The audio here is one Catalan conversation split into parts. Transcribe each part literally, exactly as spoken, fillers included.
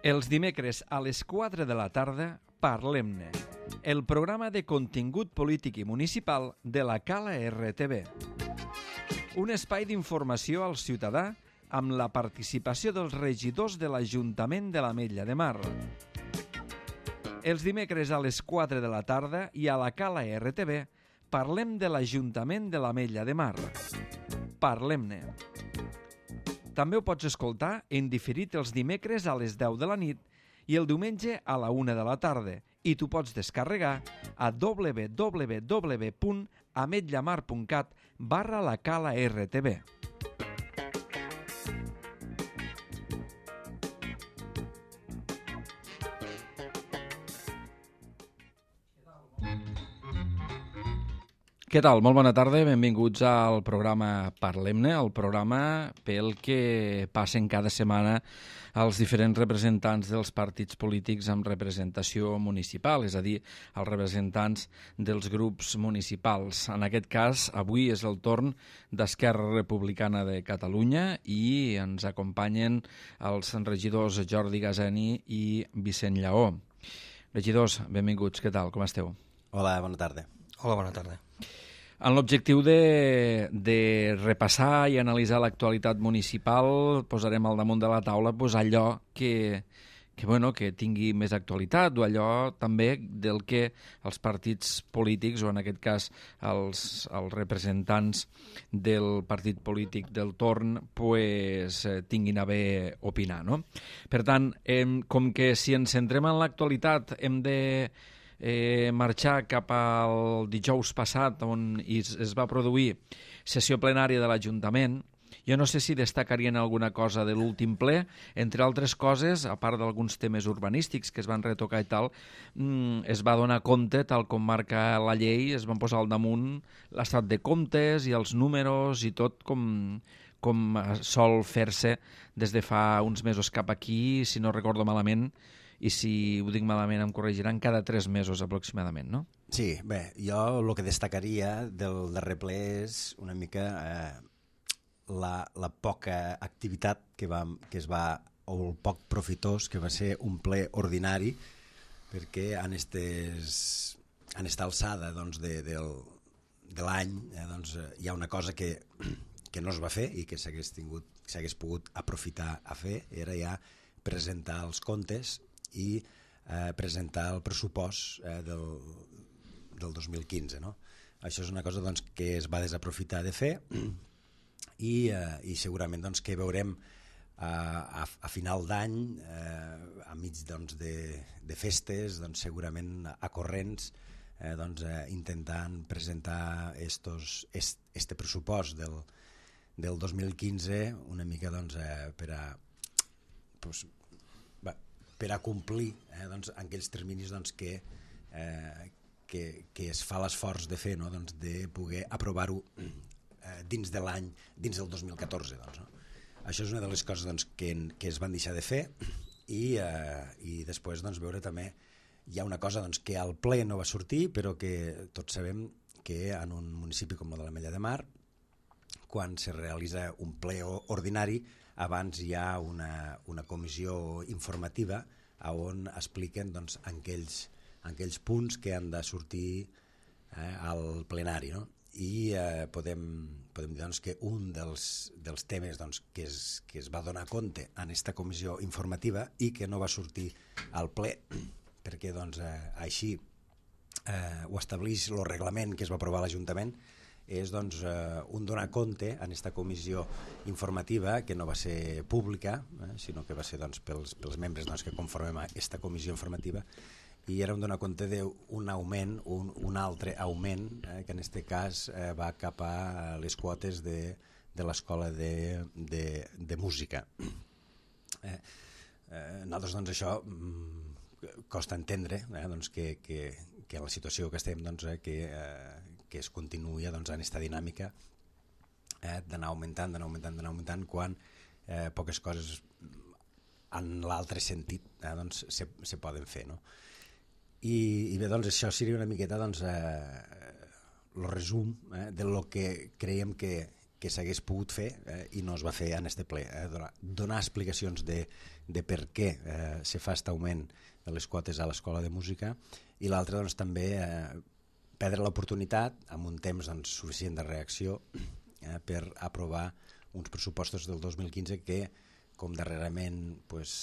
Els dimecres a les quatre de la tarda, Parlem-ne, el programa de contingut polític i municipal de la Cala R T V. Un espai d'informació al ciutadà amb la participació dels regidors de l'Ajuntament de l'Ametlla de Mar. Els dimecres a les quatre de la tarda i a la Cala R T V parlem de l'Ajuntament de l'Ametlla de Mar. Parlem-ne. També ho pots escoltar en diferit els dimecres a les deu de la nit i el diumenge a la una de la tarda, i tu pots descarregar a w w w punt ametllamar punt cat barra la Cala R T V. Què tal? Molt bona tarda, benvinguts al programa Parlem-ne, el programa pel que passen cada setmana els diferents representants dels partits polítics amb representació municipal, és a dir, els representants dels grups municipals. En aquest cas, avui és el torn d'Esquerra Republicana de Catalunya i ens acompanyen els regidors Jordi Gaseni i Vicent Lleó. Regidors, benvinguts, què tal? Com esteu? Hola, bona tarda. Hola, bona tarda. En l'objectiu de, de repassar i analitzar l'actualitat municipal, posarem al damunt de la taula pues, allò que, que, bueno, que tingui més actualitat o allò també del que els partits polítics, o en aquest cas els, els representants del partit polític del torn, pues, eh, tinguin a bé opinar. No? Per tant, eh, com que si ens centrem en l'actualitat hem de Eh, marxar cap al dijous passat on es, es va produir sessió plenària de l'Ajuntament. Jo no sé si destacarien alguna cosa de l'últim ple, entre altres coses, a part d'alguns temes urbanístics que es van retocar i tal, mm, es va donar compte, tal com marca la llei, es van posar al damunt l'estat de comptes i els números i tot com, com sol fer-se des de fa uns mesos cap aquí, si no recordo malament, i si ho dic malament em corregiran, cada tres mesos aproximadament, no? Sí, bé, jo el que destacaria del darrer ple és una mica eh, la, la poca activitat que, va, que es va, o el poc profitós que va ser un ple ordinari, perquè en, estes, en esta alçada doncs, de, del, de l'any eh, doncs, hi ha una cosa que, que no es va fer i que s'hagués tingut, s'hagués pogut aprofitar a fer, era ja presentar els comptes i eh, presentar el pressupost eh, del, del dos mil quinze. No? Això és una cosa doncs, que es va desaprofitar de fer i, eh, i segurament doncs, que veurem eh, a, a final d'any, eh, a mig doncs, de, de festes, doncs, segurament a corrents, eh, doncs, eh, intentant presentar estos, est, este pressupost del, del dos mil quinze una mica doncs, eh, per a... Pues, per a complir eh, doncs, en aquells terminis doncs, que, eh, que, que es fa l'esforç de fer, no? doncs, de poder aprovar-ho eh, dins de l'any, dins del dos mil catorze. Doncs, no? Això és una de les coses doncs, que, que es van deixar de fer i, eh, i després doncs, veure també hi ha una cosa doncs, que al ple no va sortir, però que tots sabem que en un municipi com el de l'Ametlla de Mar, quan se realitza un ple ordinari, abans hi ha una, una comissió informativa on expliquen doncs, aquells, aquells punts que han de sortir eh, al plenari. No? I eh, podem, podem dir doncs, que un dels, dels temes doncs, que, es, que es va donar compte en aquesta comissió informativa i que no va sortir al ple, perquè doncs, eh, així eh, ho estableix el reglament que es va aprovar a l'Ajuntament, és doncs, eh, un donar compte en aquesta comissió informativa que no va ser pública, eh, sinó que va ser doncs, pels, pels membres doncs, que conformem aquesta comissió informativa, i era un donar compte d'un augment, un, un altre augment, eh, que en aquest cas eh, va cap a les quotes de, de l'escola de, de, de música. Eh, eh, nosaltres doncs, això mm, costa entendre eh, doncs, que, que, que en la situació que estem doncs, eh, que eh, que es continuï doncs, en aquesta dinàmica eh, d'anar augmentant, d'anar augmentant, d'anar augmentant, quan eh, poques coses en l'altre sentit eh, doncs, se, se poden fer. No? I, I bé, doncs, això seria una miqueta doncs, eh, el resum eh, de lo que creiem que, que s'hagués pogut fer eh, i no es va fer en este ple. Eh, donar, donar explicacions de, de per què eh, se fa aquest augment de les quotes a l'Escola de Música, i l'altre doncs, també eh, perdre l'oportunitat amb un temps doncs, suficient de reacció eh, per aprovar uns pressupostos del dos mil quinze que, com darrerament pues,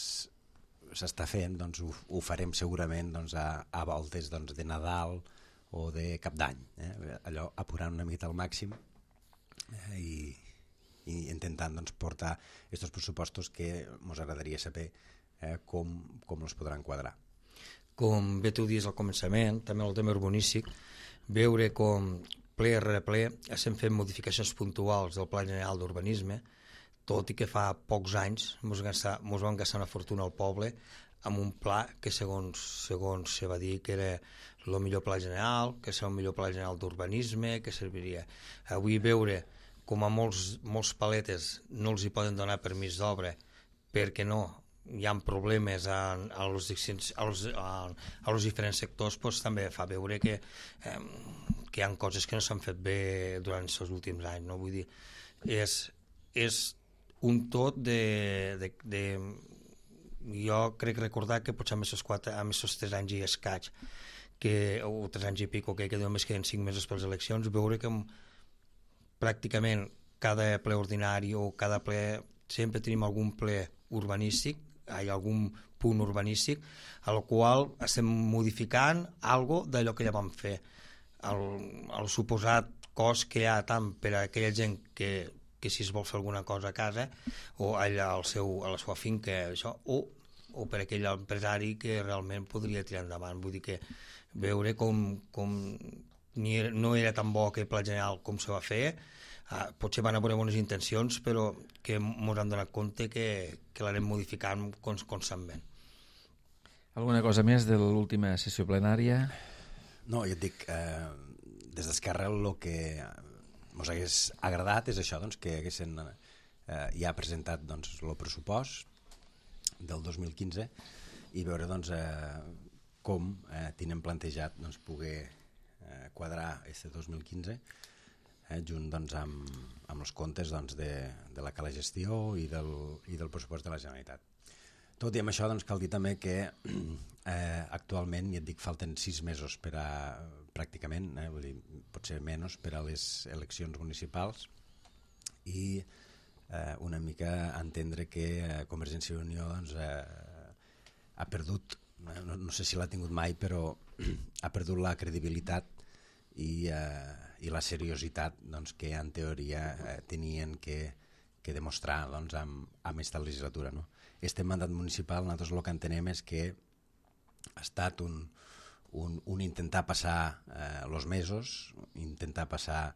s'està fent, doncs, ho, ho farem segurament doncs, a, a voltes doncs, de Nadal o de Cap d'Any, eh? Allò apurant una mica al màxim eh, i, i intentant doncs, portar aquests pressupostos que ens agradaria saber eh, com, com els podran quadrar. Com bé tu dius al començament, també el tema urbanístic, veure com ple rere ple estem fent modificacions puntuals del Pla General d'Urbanisme, tot i que fa pocs anys ens vam gastar una fortuna al poble amb un pla que segons, segons se va dir que era el millor pla general, que serà el millor pla general d'urbanisme, que serviria. Avui veure com a molts, molts paletes no els hi poden donar permís d'obra perquè no, hi ha problemes a, a, los, a, los, a, a los diferents sectors, doncs també fa veure que, eh, que hi ha coses que no s'han fet bé durant els últims anys. No? Vull dir, és, és un tot de... de, de jo crec recordar que potser amb aquests quatre, amb aquests tres anys i escaig, que, o tres anys i pico, que, que només queden cinc mesos per les eleccions, veure que pràcticament cada ple ordinari o cada ple sempre tenim algun ple urbanístic, hi ha algun punt urbanístic al qual estem modificant algo d'allò que ja vam fer. El, el suposat cost que hi ha tant per a aquella gent que que si es vol fer alguna cosa a casa o allà al seu, a la seva finca això, o, o per aquell empresari que realment podria tirar endavant. Vull dir que veure com, com ni era, no era tan bo aquell pla general com se va fer, uh, potser van haver bones intencions, però que ens han donat compte que, que l'anem modificant constantment. Alguna cosa més de l'última sessió plenària? No, jo et dic, eh, des d'Esquerra el que ens hagués agradat és això, doncs, que haguessin eh, ja presentat doncs, el pressupost del dos mil quinze i veure doncs, eh, com eh, tenen plantejat doncs, poder eh, quadrar este dos mil quinze eh, junt doncs, amb, amb els comptes doncs, de, de la cala gestió i del, i del pressupost de la Generalitat. Tot i amb això doncs, cal dir també que eh, actualment, ja et dic, falten sis mesos per a pràcticament, eh, vull dir, potser menys per a les eleccions municipals i eh, una mica entendre que eh, Convergència i Unió doncs, eh, ha perdut, eh, no, no sé si l'ha tingut mai, però ha perdut la credibilitat i, eh, i la seriositat doncs, que en teoria eh, tenien que, que demostrar doncs, amb, amb aquesta legislatura. No? Este mandat municipal, nosaltres el que entenem és que ha estat un Un, un intentar passar els eh, mesos, intentar passar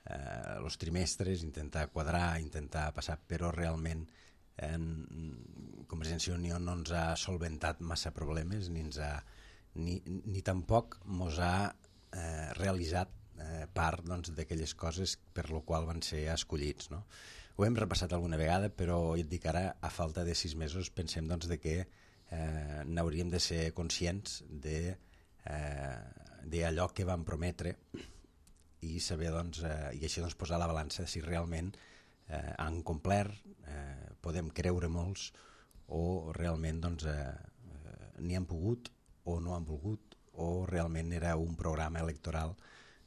eh, els trimestres, intentar quadrar, intentar passar, però realment eh, Convergència i Unió no ens ha solventat massa problemes, ni, ens ha, ni, ni tampoc ens ha eh, realitzat eh, part doncs, d'aquelles coses per lo qual van ser escollits. No? Ho hem repassat alguna vegada, però jo et dic ara, a falta de sis mesos, pensem doncs, de que eh, n'hauríem de ser conscients de Eh, d'allò que vam prometre i saber doncs, eh, i així doncs, posar la balança si realment eh, han complert, eh, podem creure molts o realment doncs, eh, n'hi han pogut o no han volgut o realment era un programa electoral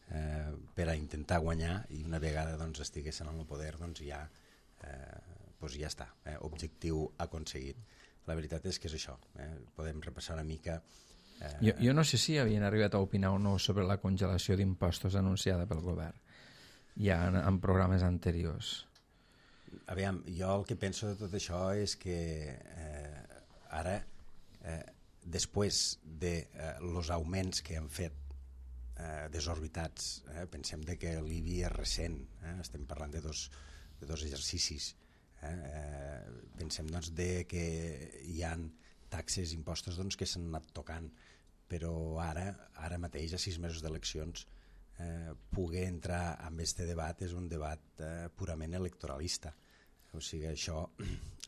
eh, per a intentar guanyar i una vegada doncs, estiguessin en el poder doncs, ja, eh, doncs ja està, eh, objectiu aconseguit. La veritat és que és això, eh, podem repassar una mica. Jo, jo no sé si havien arribat a opinar o no sobre la congelació d'impostos anunciada pel govern ja en, en programes anteriors. Aviam, jo el que penso de tot això és que eh, ara, eh, després de eh, los augments que han fet eh, desorbitats, eh, pensem de que l'I B I és recent, eh, estem parlant de dos, de dos exercicis, eh, eh, pensem doncs, de que hi ha taxes, impostos doncs, que s'han anat tocant, però ara, ara mateix, a sis mesos d'eleccions, eh, poder entrar en aquest debat és un debat eh, purament electoralista. O sigui, això,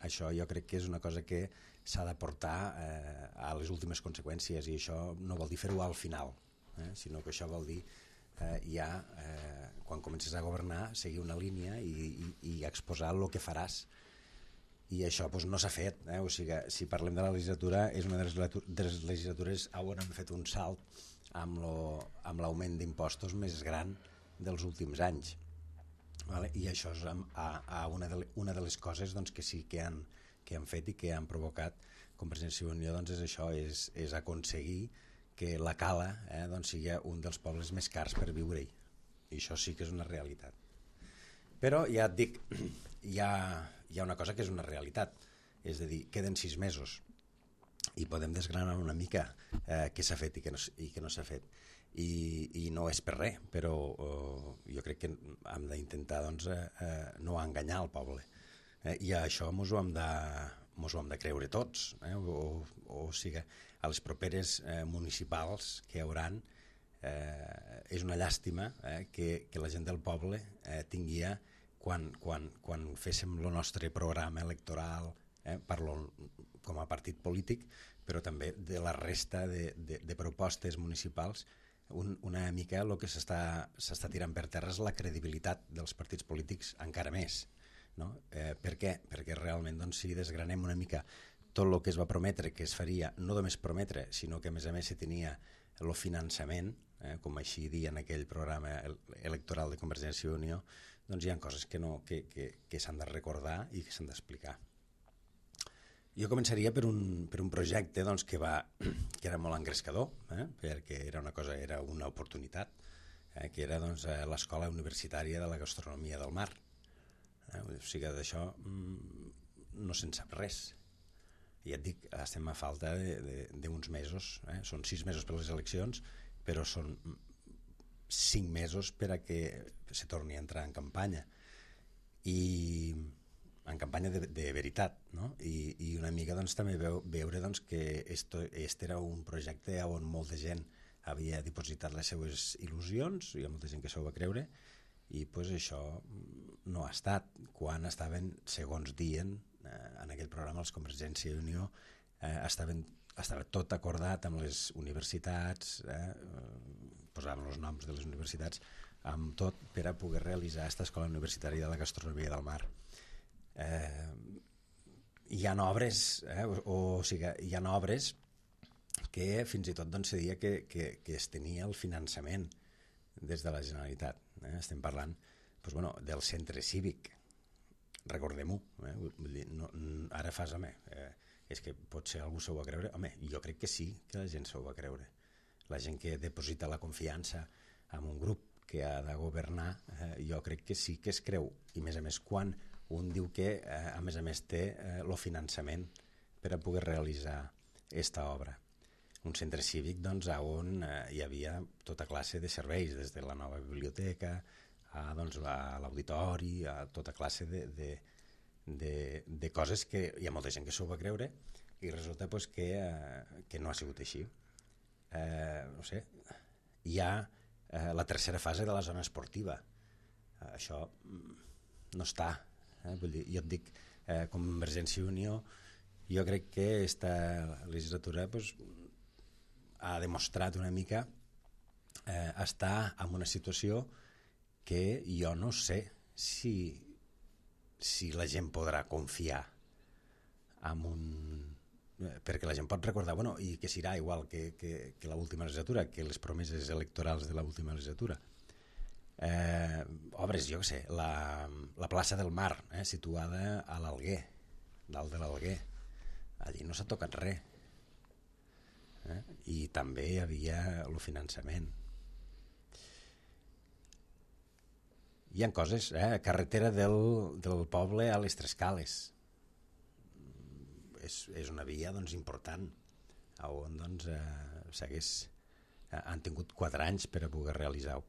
això jo crec que és una cosa que s'ha de portar eh, a les últimes conseqüències i això no vol dir fer-ho al final, eh, sinó que això vol dir eh, ja, eh, quan comences a governar, seguir una línia i, i, i exposar el que faràs. I això doncs, no s'ha fet. Eh? O sigui, si parlem de la legislatura, és una de les, de les legislatures on hem fet un salt amb l'augment d'impostos més gran dels últims anys. Vale? I això és a, a una, de, una de les coses doncs, que sí que han, que han fet i que han provocat Convergència i Unió, doncs és això, és, és aconseguir que la Cala eh, doncs sigui un dels pobles més cars per viure-hi. I això sí que és una realitat. Però ja et dic, hi ha, hi ha una cosa que és una realitat, és a dir, queden sis mesos i podem desgranar una mica eh, què s'ha fet i què no, i què no s'ha fet. I, i no és per res, però eh, jo crec que hem d'intentar doncs, eh, no enganyar el poble. Eh, I això ens ho hem de, ens ho hem de creure tots. Eh? O, o sigui, a les properes eh, municipals que hi hauran, eh, és una llàstima eh, que, que la gent del poble eh, tinguia, quan, quan, quan féssim el nostre programa electoral, eh, parlo com a partit polític, però també de la resta de, de, de propostes municipals, un, una mica el que s'està tirant per terra és la credibilitat dels partits polítics encara més. No? Eh, per què? Perquè realment doncs, si desgranem una mica tot el que es va prometre que es faria, no només prometre, sinó que a més a més se tenia el finançament, eh, com així dir en aquell programa electoral de Convergència i Unió, doncs hi ha coses que, no, que, que, que s'han de recordar i que s'han d'explicar. Jo començaria per un, per un projecte doncs, que, va, que era molt engrescador, eh, perquè era una cosa, era una oportunitat, eh, que era doncs, l'Escola Universitària de la Gastronomia del Mar. Eh, o sigui, d'això no se'n sap res. I ja et dic, estem a falta d'uns mesos, eh? Són sis mesos per les eleccions, però són cinc mesos per a que se torni a entrar en campanya. I en campanya de, de veritat, no? I, i una mica doncs, també veu, veure doncs, que esto, este era un projecte on molta gent havia dipositat les seues il·lusions, hi ha molta gent que s'ho va creure, i pues, això no ha estat. Quan estaven, segons dient, eh, en aquell programa els Convergència i Unió, eh, estaven, estava tot acordat amb les universitats, eh, posaven els noms de les universitats, amb tot per a poder realitzar aquesta escola universitària de la gastronomia del mar. Eh, hi ha obres, eh, o, o sigui, hi ha obres que fins i tot doncs, se deia que, que, que es tenia el finançament des de la Generalitat. Eh? Estem parlant doncs, bueno, del centre cívic, recordem-ho, eh? Vull dir, no, ara fas, home, eh, és que potser algú s'ho va creure, home, jo crec que sí que la gent s'ho va creure, la gent que deposita la confiança en un grup que ha de governar, eh, jo crec que sí que es creu, i a més a més quan un diu que eh, a més a més té eh, el finançament per a poder realitzar aquesta obra. Un centre cívic doncs, on eh, hi havia tota classe de serveis, des de la nova biblioteca a, doncs, a l'auditori, a tota classe de, de, de, de coses que hi ha molta gent que s'ho va creure i resulta pues, que, eh, que no ha sigut així. Eh, no sé, hi ha eh, la tercera fase de la zona esportiva. Eh, això no està. Eh? Vull dir, jo et dic, eh, com Convergència i Unió, jo crec que aquesta legislatura pues, ha demostrat una mica eh, estar en una situació que jo no sé si, si la gent podrà confiar en un... perquè la gent pot recordar, bueno, i que serà igual que, que, que l'última legislatura, que les promeses electorals de l'última legislatura. Eh, obres, jo què sé, la, la plaça del Mar, eh, situada a l'Alguer, dalt de l'Alguer, allí no s'ha tocat res. Eh? I també hi havia el finançament. Hi ha coses, eh? Carretera del, del poble a les Tres Cales. És, és una via doncs, important, on doncs, eh, s'hagués, eh, han tingut quatre anys per a poder realitzar-ho.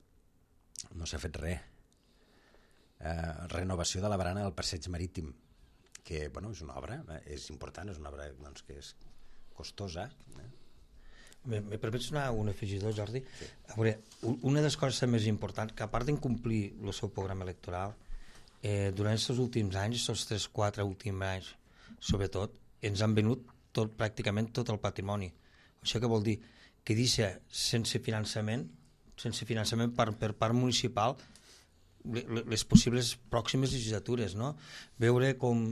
No s'ha fet res. Eh, renovació de la barana del passeig marítim, que bueno, és una obra, eh, és important, és una obra doncs, que és costosa. Eh? Me, me permets una, un afegidor, Jordi? Sí. A veure, una de les coses més importants, que a part d'incomplir el seu programa electoral, eh, durant aquests últims anys, aquests tres quatre últims anys, sobretot, ens han venut tot, pràcticament tot el patrimoni. Això què vol dir? Que deixa sense finançament sense finançament per, per part municipal, les possibles pròximes legislatures, no? Veure com,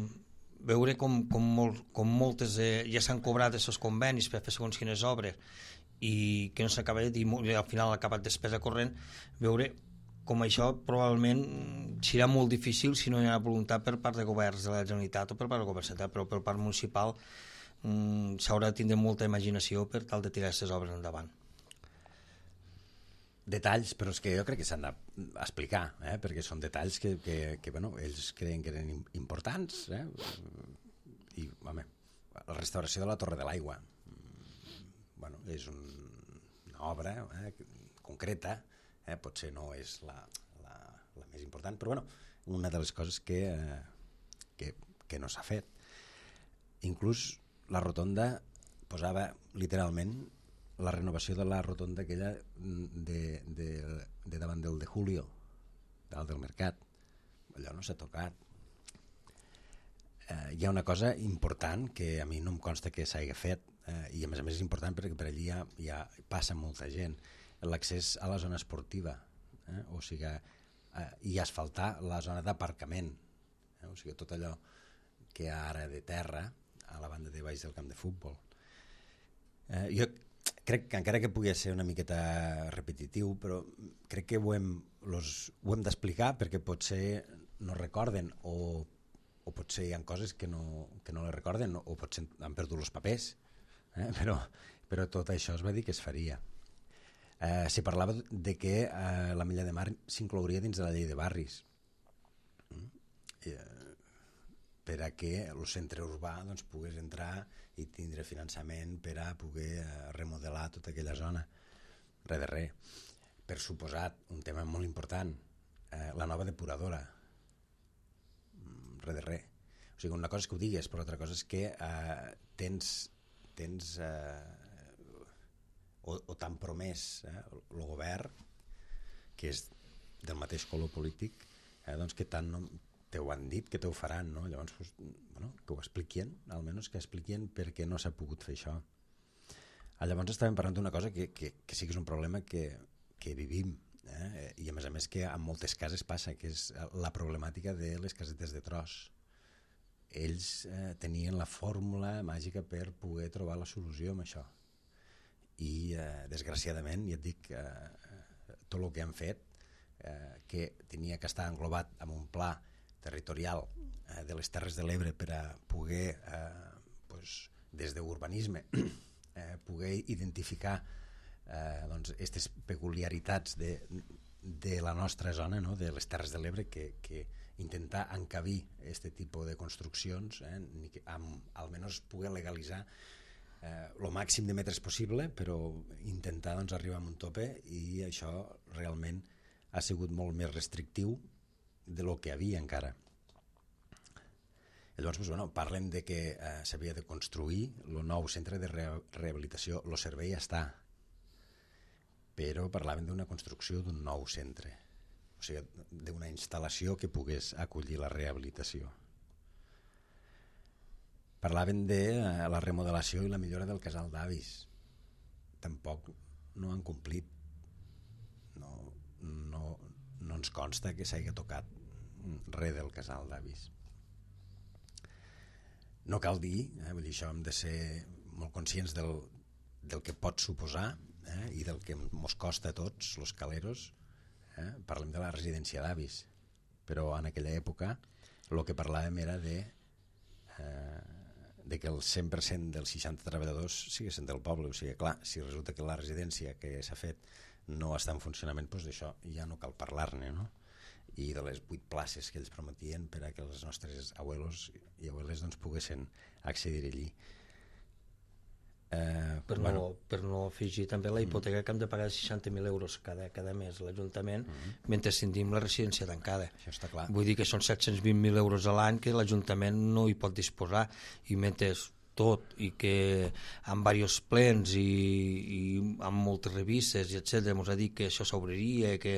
veure com, com, molt, com moltes eh, ja s'han cobrat aquests convenis per fer segons quines obres i que no s'ha acabat i al final ha acabat despesa corrent, veure com això probablement serà molt difícil si no hi ha voluntat per part de governs de la Generalitat o per part del govern central, però per part municipal mm, s'haurà de tindre molta imaginació per tal de tirar aquestes obres endavant. Detalls, però és que jo crec que s'han d'explicar, eh? Perquè són detalls que, que, que bueno, ells creien que eren importants, eh? I, home, la restauració de la Torre de l'Aigua, bueno, és un, una obra eh, concreta, eh? Potser no és la, la, la més important, però bueno, una de les coses que, eh, que, que no s'ha fet. Inclús la rotonda posava literalment la renovació de la rotonda aquella de, de, de davant del de Julio, dalt del mercat. Allò no s'ha tocat. Eh, hi ha una cosa important que a mi no em consta que s'hagi fet, eh, i a més a més és important perquè per allí ja, ja passa molta gent. L'accés a la zona esportiva, eh? O sigui, eh, i asfaltar la zona d'aparcament, eh? O sigui, tot allò que hi ha ara de terra a la banda de baix del camp de futbol. Eh, jo crec que encara que pugui ser una miqueta repetitiu, però crec que ho hem, los, ho hem d'explicar perquè potser no recorden o, o potser hi ha coses que no, que no les recorden o potser han perdut els papers, eh? però, però tot això es va dir que es faria. Eh, se parlava de que eh, la Milla de Mar s'inclouria dins de la llei de barris, mm? eh, per a que el centre urbà doncs, pogués entrar i tindre finançament per a poder remodelar tota aquella zona. Res de res. Per suposat, un tema molt important, eh, la nova depuradora. Res de res. O sigui, una cosa és que ho digues, però l'altra cosa és que eh, tens, tens eh, o, o t'han promès eh, el govern, que és del mateix color polític, eh, doncs que tant no te ho han dit, que te ho faran, no? Llavors, pues, bueno, que ho expliquien, almenys que expliquien per què no s'ha pogut fer això. Llavors estàvem parlant d'una cosa que, que, que sí que és un problema que, que vivim, eh? I a més a més que en moltes cases passa, que és la problemàtica de les casetes de tros. Ells eh, tenien la fórmula màgica per poder trobar la solució amb això. I, eh, desgraciadament, ja et dic, eh, tot el que han fet, eh, que tenia que estar englobat en un pla territorial eh, de les Terres de l'Ebre per a poder, eh, pues, des d'urbanisme, eh, poder identificar eh, doncs, aquestes peculiaritats de, de la nostra zona, no? De les Terres de l'Ebre, que, que intentar encabir aquest tipus de construccions, eh, ni que, amb, almenys poder legalitzar el eh, màxim de metres possible, però intentar doncs, arribar a un tope, i això realment ha sigut molt més restrictiu de lo que havia encara. Llavors, doncs, bueno, parlem de que eh, s'havia de construir el nou centre de re rehabilitació. El servei està, però parlaven d'una construcció d'un nou centre, o sigui, d'una instal·lació que pogués acollir la rehabilitació. Parlaven de eh, la remodelació i la millora del casal d'avis. Tampoc no han complit. No, no, no ens consta que s'hagi tocat res del casal d'avis. No cal dir, eh, vull dir, això hem de ser molt conscients del, del que pot suposar eh, i del que ens costa a tots, els caleros. Eh? Parlem de la residència d'avis, però en aquella època el que parlàvem era de, eh, de que el cent per cent dels seixanta treballadors siguessin del poble. O sigui, clar, si resulta que la residència que s'ha fet no està en funcionament, doncs d'això ja no cal parlar-ne, no? I de les vuit places que ells prometien per a que els nostres abuelos i abueles doncs, poguessin accedir allí. Eh, per, bueno. no, per no afegir també la hipoteca que hem de pagar seixanta mil euros cada, cada mes a l'Ajuntament mm-hmm. mentre sentim la residència tancada. Això està clar. Vull dir que són set-cents vint mil euros a l'any que l'Ajuntament no hi pot disposar, i mentre tot i que amb diversos plens i, i amb moltes revistes i etcètera ens ha dit que això s'obriria, que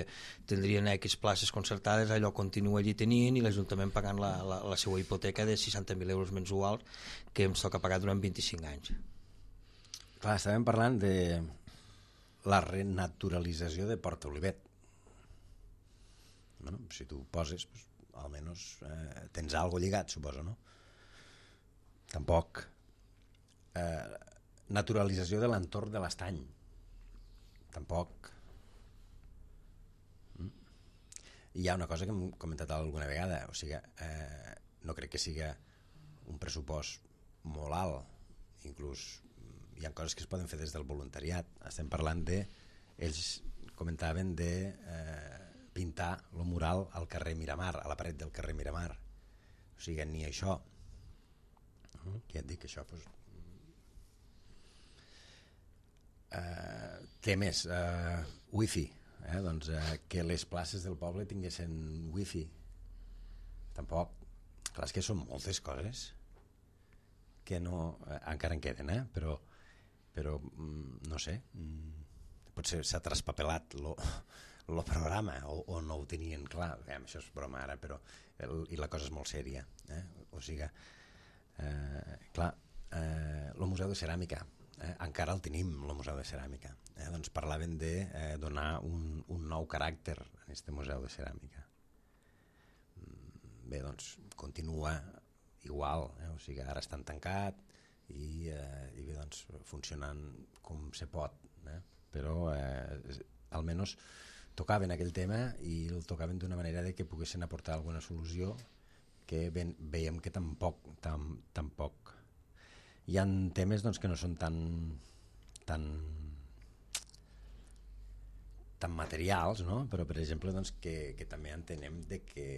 tindrien X places concertades, allò continua allí tenint i l'Ajuntament pagant la, la, la seva hipoteca de seixanta mil euros mensuals que ens toca pagar durant vint-i-cinc anys. Clar, estàvem parlant de la renaturalització de Port Olivet. Bueno, si tu poses, pues, almenys eh, tens algo lligat, suposo, no? Tampoc. Eh, naturalització de l'entorn de l'estany. Tampoc. Mm. I hi ha una cosa que hem comentat alguna vegada, o sigui, eh, no crec que siga un pressupost molt alt, inclús hi ha coses que es poden fer des del voluntariat. Estem parlant de, ells comentaven de eh, pintar el mural al carrer Miramar, a la paret del carrer Miramar. O sigui, ni això. Uh-huh. Què et dic, això? Pues, uh, què més? Uh, wifi. Eh? Doncs uh, que les places del poble tinguessin wifi. Tampoc. Clar, és que són moltes coses que no... Eh, encara en queden, eh? Però, però mm, no sé, mm, potser s'ha traspapelat lo, lo programa o, o no ho tenien clar. Eh, això és broma ara, però el, i la cosa és molt sèria. Eh? O sigui, eh, clar, eh, el Museu de Ceràmica, eh? Encara el tenim, el Museu de Ceràmica. Eh? Doncs parlaven de eh, donar un, un nou caràcter a aquest Museu de Ceràmica. Bé, doncs, continua igual, eh? O sigui, ara estan tancat i, eh, i bé, doncs, funcionant com se pot, eh? Però eh, almenys tocaven aquell tema i el tocaven d'una manera de que poguessin aportar alguna solució que ben, veiem que tampoc, tam, tampoc. Hi ha temes doncs, que no són tan tan tan materials, no? Però per exemple doncs, que, que també entenem de que,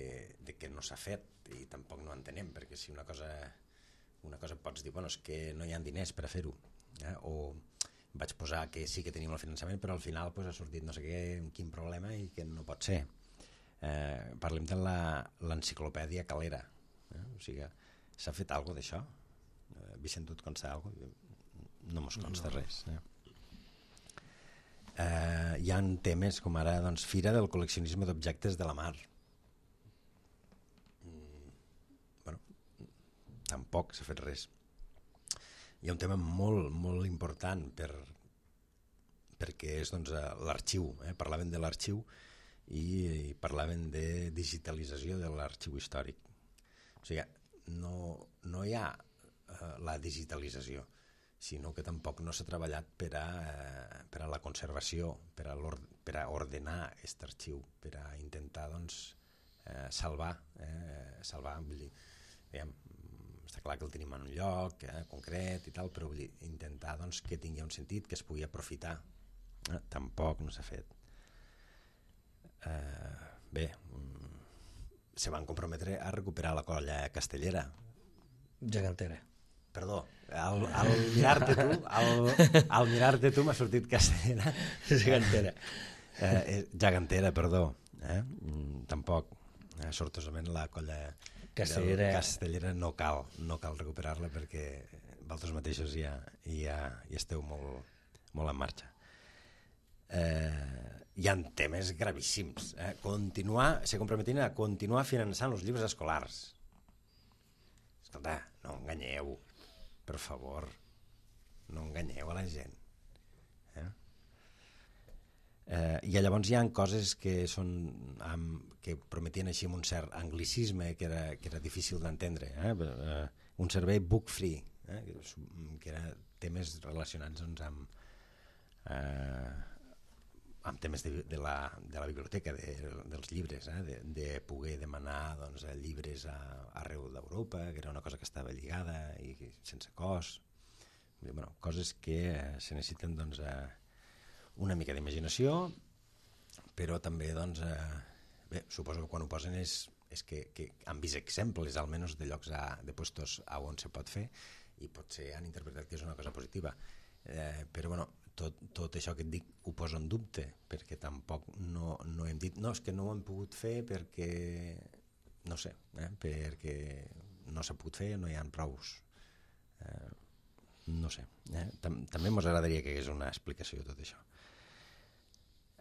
de que no s'ha fet i tampoc no entenem, perquè si una cosa una cosa pots dir, bueno, és que no hi ha diners per a fer-ho, eh? O vaig posar que sí que tenim el finançament però al final pues, ha sortit no sé què, quin problema i que no pot ser. Eh, parlem de l'enciclopèdia Calera, eh? O sigui, s'ha fet alguna cosa d'això? Eh, Vicent, tu et consta alguna cosa? No mos consta no. res, eh? Uh, hi ha temes com ara doncs, Fira del col·leccionisme d'objectes de la mar. Mm, bueno, tampoc s'ha fet res. Hi ha un tema molt, molt important per, perquè és doncs, l'arxiu. Eh? Parlaven de l'arxiu i, i parlaven de digitalització de l'arxiu històric. O sigui, no, no hi ha uh, la digitalització, sinó que tampoc no s'ha treballat per a, eh, per a la conservació, per a, per a ordenar aquest arxiu, per a intentar doncs, eh, salvar, eh, salvar vull dir, veiem, està clar que el tenim en un lloc eh, concret i tal, però vull dir, intentar doncs, que tingui un sentit, que es pugui aprofitar. Eh, tampoc no s'ha fet. Eh, bé, mm, se van comprometre a recuperar la colla castellera. Gegantera. Perdó, al, al mirar-te tu, al, al mirar-te tu m'ha sortit castellera. Gegantera. Eh, gegantera, perdó. Eh? Mm, tampoc. Eh, sortosament la colla castellera. castellera no cal, no cal recuperar-la perquè vosaltres mateixos ja, ja, ja esteu molt, molt en marxa. Eh, hi ha temes gravíssims. Eh? Continuar, se comprometien a continuar finançant els llibres escolars. Escolta, no enganyeu. Per favor, no enganyeu a la gent. Eh? Eh, I llavors hi ha coses que són amb, que prometien així amb un cert anglicisme que era, que era difícil d'entendre. Eh? Eh, un servei book free, eh? que, que era temes relacionats doncs, amb, eh, amb temes de, de, la, de la biblioteca, de, dels llibres, eh? de, de poder demanar doncs, llibres a, arreu d'Europa, que era una cosa que estava lligada i sense cost. Bueno, coses que eh, se necessiten doncs, eh, una mica d'imaginació, però també doncs, eh, bé, suposo que quan ho posen és, és que, que han vist exemples almenys de llocs a, de puestos a on se pot fer i potser han interpretat que és una cosa positiva. Eh, però bueno, tot, tot això que et dic ho poso en dubte, perquè tampoc no, no hem dit no, és que no ho hem pogut fer perquè no sé, eh, perquè no s'ha pogut fer, no hi ha prous eh, no sé eh? Tam també ens agradaria que hi hagués una explicació de tot això.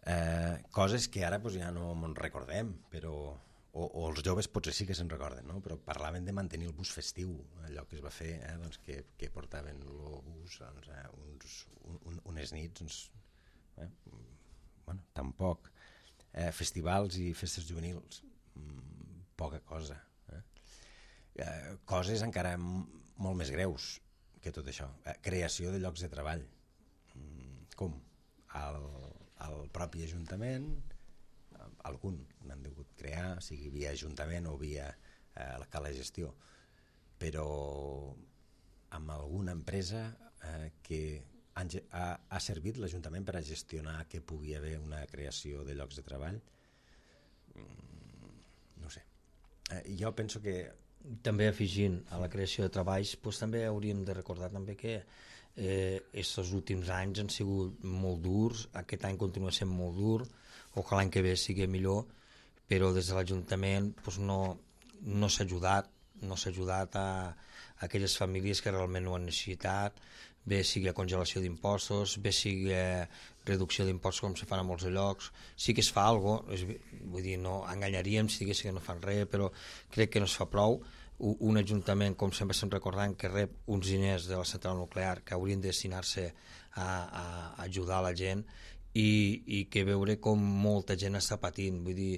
Eh, coses que ara pues, ja no ens recordem, però o, o els joves potser sí que se'n recorden, no? Però parlaven de mantenir el bus festiu, allò que es va fer, eh? doncs que, que portaven el bus doncs, eh, uns, un, unes nits doncs, Eh? Bueno, tampoc. Eh, festivals i festes juvenils, mm, poca cosa. Eh? Eh, coses encara m- molt més greus que tot això. Eh, creació de llocs de treball. Mm, com? Al, al propi Ajuntament, algun n'han degut crear, sigui via Ajuntament o via eh, la cala gestió, però amb alguna empresa eh, que han, ha, ha servit l'Ajuntament per a gestionar que pugui haver una creació de llocs de treball, mm, no sé. Eh, jo penso que... També afegint a la creació de treballs, doncs també hauríem de recordar també que eh, estos últims anys han sigut molt durs, aquest any continua sent molt dur, o que l'any que ve sigui millor, però des de l'Ajuntament doncs no, no s'ha ajudat, no s'ha ajudat a, a aquelles famílies que realment ho han necessitat, bé sigui a congelació d'impostos, bé sigui a reducció d'impostos com se fan a molts llocs. Sí que es fa alguna cosa, vull dir, no enganyaríem si diguéssim que no fan res, però crec que no es fa prou. Un ajuntament, com sempre estem recordant, que rep uns diners de la central nuclear que haurien de destinar-se a, a ajudar la gent i, i que veure com molta gent està patint. Vull dir,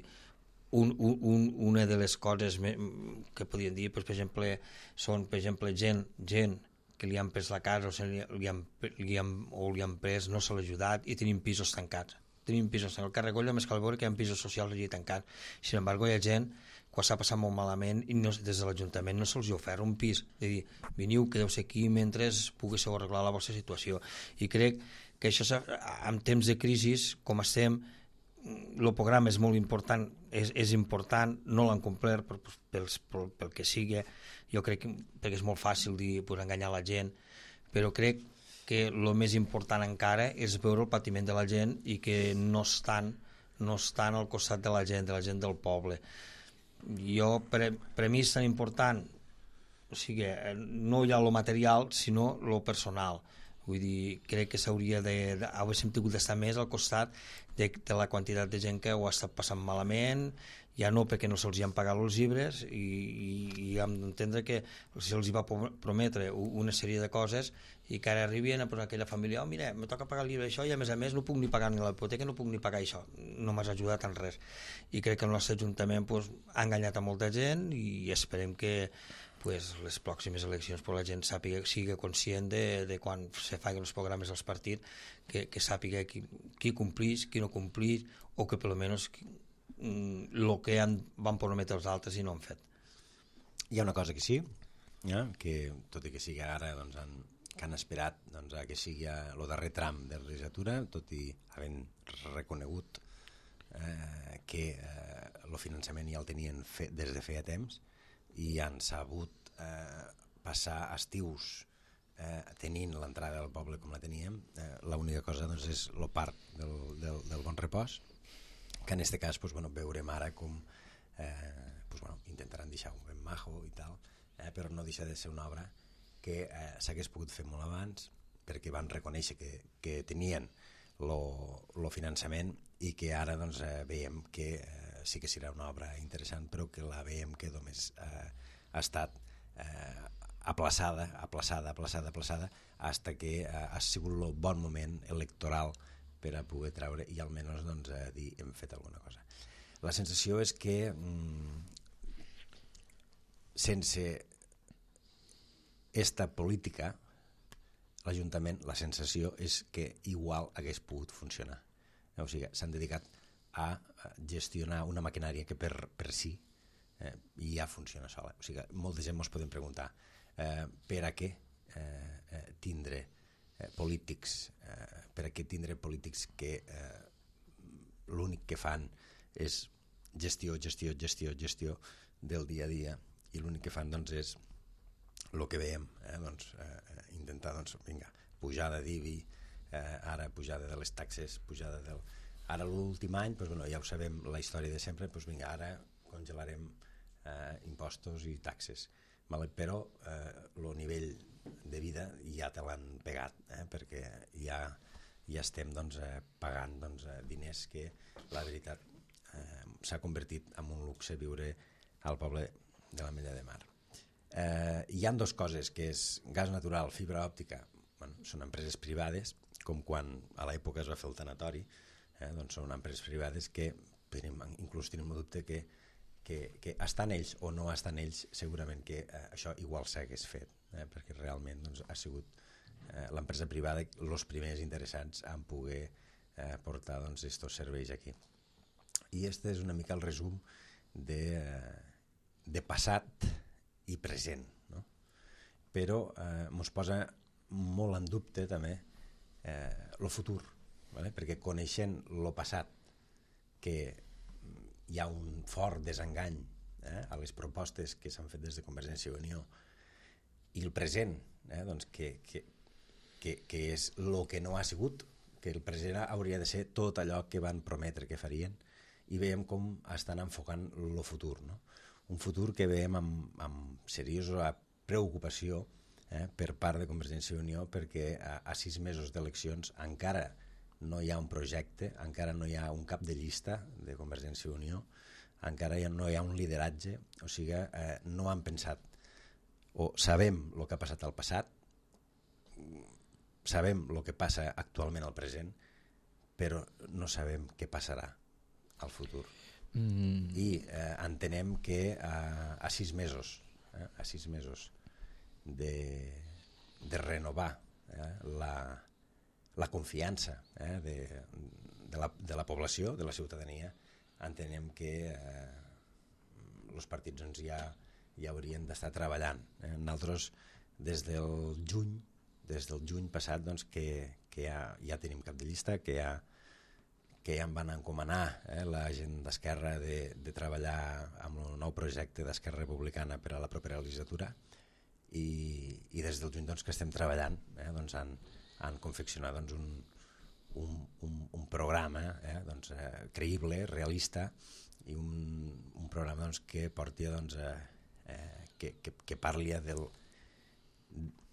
un, un, una de les coses que podríem dir, doncs, per exemple, són per exemple, gent, gent que li han pres la casa o, li, li han, li han, o li han pres, no se l'ha ajudat i tenim pisos tancats. Tenim pisos tancats. El Carregolla més cal veure que hi ha pisos socials allí tancats. Sin embargo, hi ha gent que s'ha passat molt malament i no, des de l'Ajuntament no se'ls ha ofert un pis. És a dir, veniu, quedeu-se aquí mentre poguéssiu arreglar la vostra situació. I crec que això, en temps de crisi, com estem, el programa és molt important, és, és important, no l'han complert per, per, per, pel que sigui, jo crec que perquè és molt fàcil dir, pues, enganyar la gent, però crec que el més important encara és veure el patiment de la gent i que no estan, no estan al costat de la gent, de la gent del poble. Jo, per, per mi és tan important, o sigui, no hi ha el material, sinó el personal. Vull dir, crec que s'hauria de, de hauríem tingut d'estar més al costat de, de la quantitat de gent que ho ha estat passant malament, ja no perquè no se'ls han pagat els llibres i, i, i hem d'entendre que se'ls va prometre una sèrie de coses i que ara arribien a posar aquella família, oh mira, me toca pagar el llibre això i a més a més no puc ni pagar ni la hipoteca, no puc ni pagar això, no m'has ajudat en res. I crec que el nostre Ajuntament pues, ha enganyat a molta gent i esperem que pues, les pròximes eleccions pues, la gent sàpiga, sigui conscient de, de quan se facin els programes dels partits, que, que sàpiga qui, qui complís, qui no complís, o que per almenys el que han, van prometre els altres i no han fet. Hi ha una cosa que sí, eh? Que tot i que sigui ara doncs, han, que han esperat doncs, a que sigui el darrer tram de la legislatura, tot i havent reconegut eh, que el eh, finançament ja el tenien fe, des de feia temps, i han sabut eh, passar estius eh, tenint l'entrada del poble com la teníem. Eh, l'única cosa doncs, és el parc del, del, del Bon Repòs, que en aquest cas pues, bueno, veurem ara com eh, pues, bueno, intentaran deixar-ho ben majo i tal, eh, però no deixa de ser una obra que eh, s'hagués pogut fer molt abans perquè van reconèixer que, que tenien el finançament i que ara doncs, eh, veiem que eh, sí que serà una obra interessant, però que la veiem que només eh, ha estat eh, aplaçada, aplaçada, aplaçada, aplaçada, hasta que eh, ha sigut el bon moment electoral per a poder treure i almenys doncs, eh, dir hem fet alguna cosa. La sensació és que mm, sense esta política l'Ajuntament, la sensació és que igual hagués pogut funcionar. O sigui, s'han dedicat a gestionar una maquinària que per, per si eh, ja funciona sola. O sigui, molta gent ens podem preguntar eh, per a què eh, eh, tindre eh, polítics eh, per a què tindre polítics que eh, l'únic que fan és gestió, gestió, gestió, gestió del dia a dia i l'únic que fan doncs és el que veiem, eh, doncs, eh, intentar doncs, vinga, pujada d'I B I, eh, ara pujada de les taxes, pujada del... Ara l'últim any, doncs, bueno, ja ho sabem, la història de sempre, doncs, vinga, ara congelarem eh, impostos i taxes. Vale? Però el eh, nivell de vida ja te l'han pegat, eh, perquè ja, ja estem doncs, eh, pagant doncs, eh, diners que la veritat eh, s'ha convertit en un luxe viure al poble de l'Ametlla de Mar. Eh, hi ha dues coses, que és gas natural, fibra òptica, bueno, són empreses privades com quan a l'època es va fer el tanatori, eh, doncs són empreses privades que tenim, inclús tenim el dubte que, que, que estan ells o no estan ells, segurament que eh, això igual s'hagués fet, eh, perquè realment doncs, ha sigut eh, l'empresa privada els primers interessats en poder eh, portar doncs, estos serveis aquí. I este és una mica el resum de, de passat i present, no? Però eh, mos posa molt en dubte també eh, el futur, ¿vale? Perquè coneixent el passat, que hi ha un fort desengany eh, a les propostes que s'han fet des de Convergència i Unió, i el present, eh, doncs que, que, que, que és el que no ha sigut, que el present hauria de ser tot allò que van prometre que farien, i veiem com estan enfocant el futur, no? Un futur que veiem amb, amb seriosa preocupació eh, per part de Convergència i Unió, perquè a, a sis mesos d'eleccions encara no hi ha un projecte, encara no hi ha un cap de llista de Convergència i Unió, encara no hi ha un lideratge, o sigui, eh, no han pensat, o sabem el que ha passat al passat, sabem el que passa actualment al present, però no sabem què passarà al futur. Mm. I eh, entenem que a, a sis mesos, eh, a sis mesos de, de renovar eh, la la confiança eh, de, de, la, de la població, de la ciutadania, entenem que eh, els partits doncs, ja, ja haurien d'estar treballant. Eh? Nosaltres, des del juny, des del juny passat, doncs, que, que ja, ja tenim cap de llista, que ja, que ja em van encomanar eh, la gent d'Esquerra de, de treballar amb el nou projecte d'Esquerra Republicana per a la propera legislatura, i, i des del juny doncs, que estem treballant eh, doncs, en han confeccionat doncs, un, un, un, un programa eh, doncs, eh, creïble, realista, i un, un programa doncs, que porti doncs, eh, que, que, que parli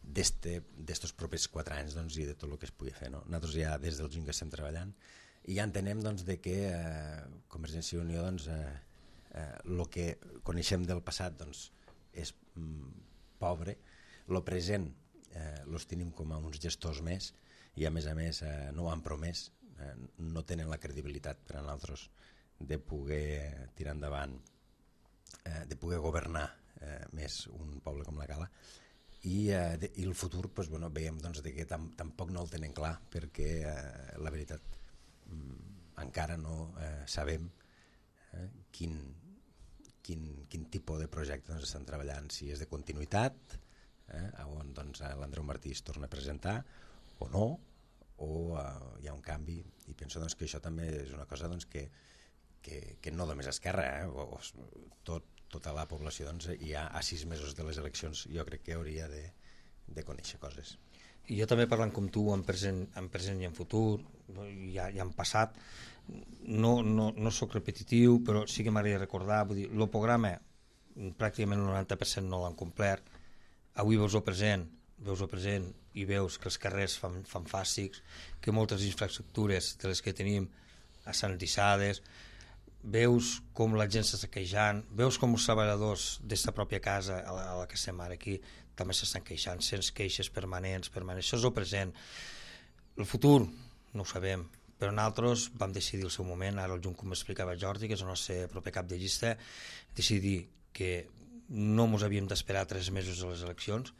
d'estos propers quatre anys doncs, i de tot el que es pugui fer. No? Nosaltres ja des del juny que estem treballant i ja entenem doncs, de que eh, Convergència i Unió doncs, eh, eh, el que coneixem del passat doncs, és mm, pobre, el present Eh, los tenim com a uns gestors més i a més a més eh, no ho han promès, eh, no tenen la credibilitat per a nosaltres de poder tirar endavant, eh, de poder governar eh, més un poble com la Cala, i, eh, de, i el futur pues, bueno, veiem doncs, de que tam, tampoc no el tenen clar, perquè eh, la veritat mm, encara no eh, sabem eh, quin, quin, quin tipus de projecte doncs, estan treballant, si és de continuïtat, Eh, on doncs, l'Andreu Martí es torna a presentar o no, o uh, hi ha un canvi, i penso doncs, que això també és una cosa doncs, que, que, que no només Esquerra, eh, o, o, tot, tota la població doncs, ja a sis mesos de les eleccions jo crec que hauria de, de conèixer coses. I jo també parlant com tu en present, en present i en futur, ja, ja en passat, no, no, no soc repetitiu, però sí que m'agradaria recordar, vull dir, el programa pràcticament el noranta per cent no l'han complert. Avui veus el present, veus el present i veus que els carrers fan, fan fàstics, que moltes infraestructures de les que tenim estan dissades, veus com la gent s'està queixant, veus com els treballadors d'esta pròpia casa a la, a la que estem ara aquí també s'estan queixant, sense queixes permanents, permanents. Això és el present. El futur no ho sabem, però nosaltres vam decidir al seu moment, ara el juny, com explicava Jordi, que és el nostre proper cap de llista, decidir que no ens havíem d'esperar tres mesos a les eleccions,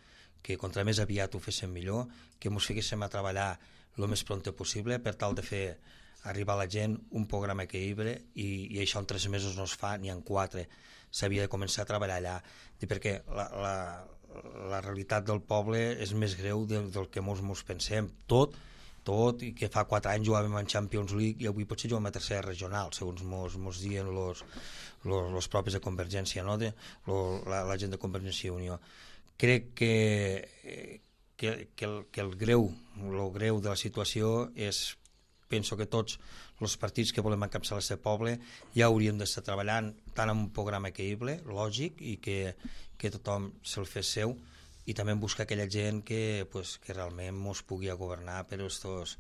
que contra més aviat ho féssim millor, que ens fiquéssim a treballar el més pront possible per tal de fer arribar a la gent un programa equilibre, i, i això en tres mesos no es fa ni en quatre, s'havia de començar a treballar allà, perquè la, la, la realitat del poble és més greu del, del que molts ens pensem, tot, tot, i que fa quatre anys jugàvem en Champions League i avui potser juguem a tercera regional, segons mos, mos diuen los, los, los propis de Convergència, no? de, lo, la, la gent de Convergència i Unió. Crec que, que, que, el, que el greu, el greu de la situació és, penso que tots els partits que volem encapçalar aquest poble ja hauríem d'estar treballant tant en un programa equilibre, lògic, i que, que tothom se'l fes seu, i també buscar aquella gent que, pues, que realment ens pugui governar per estos,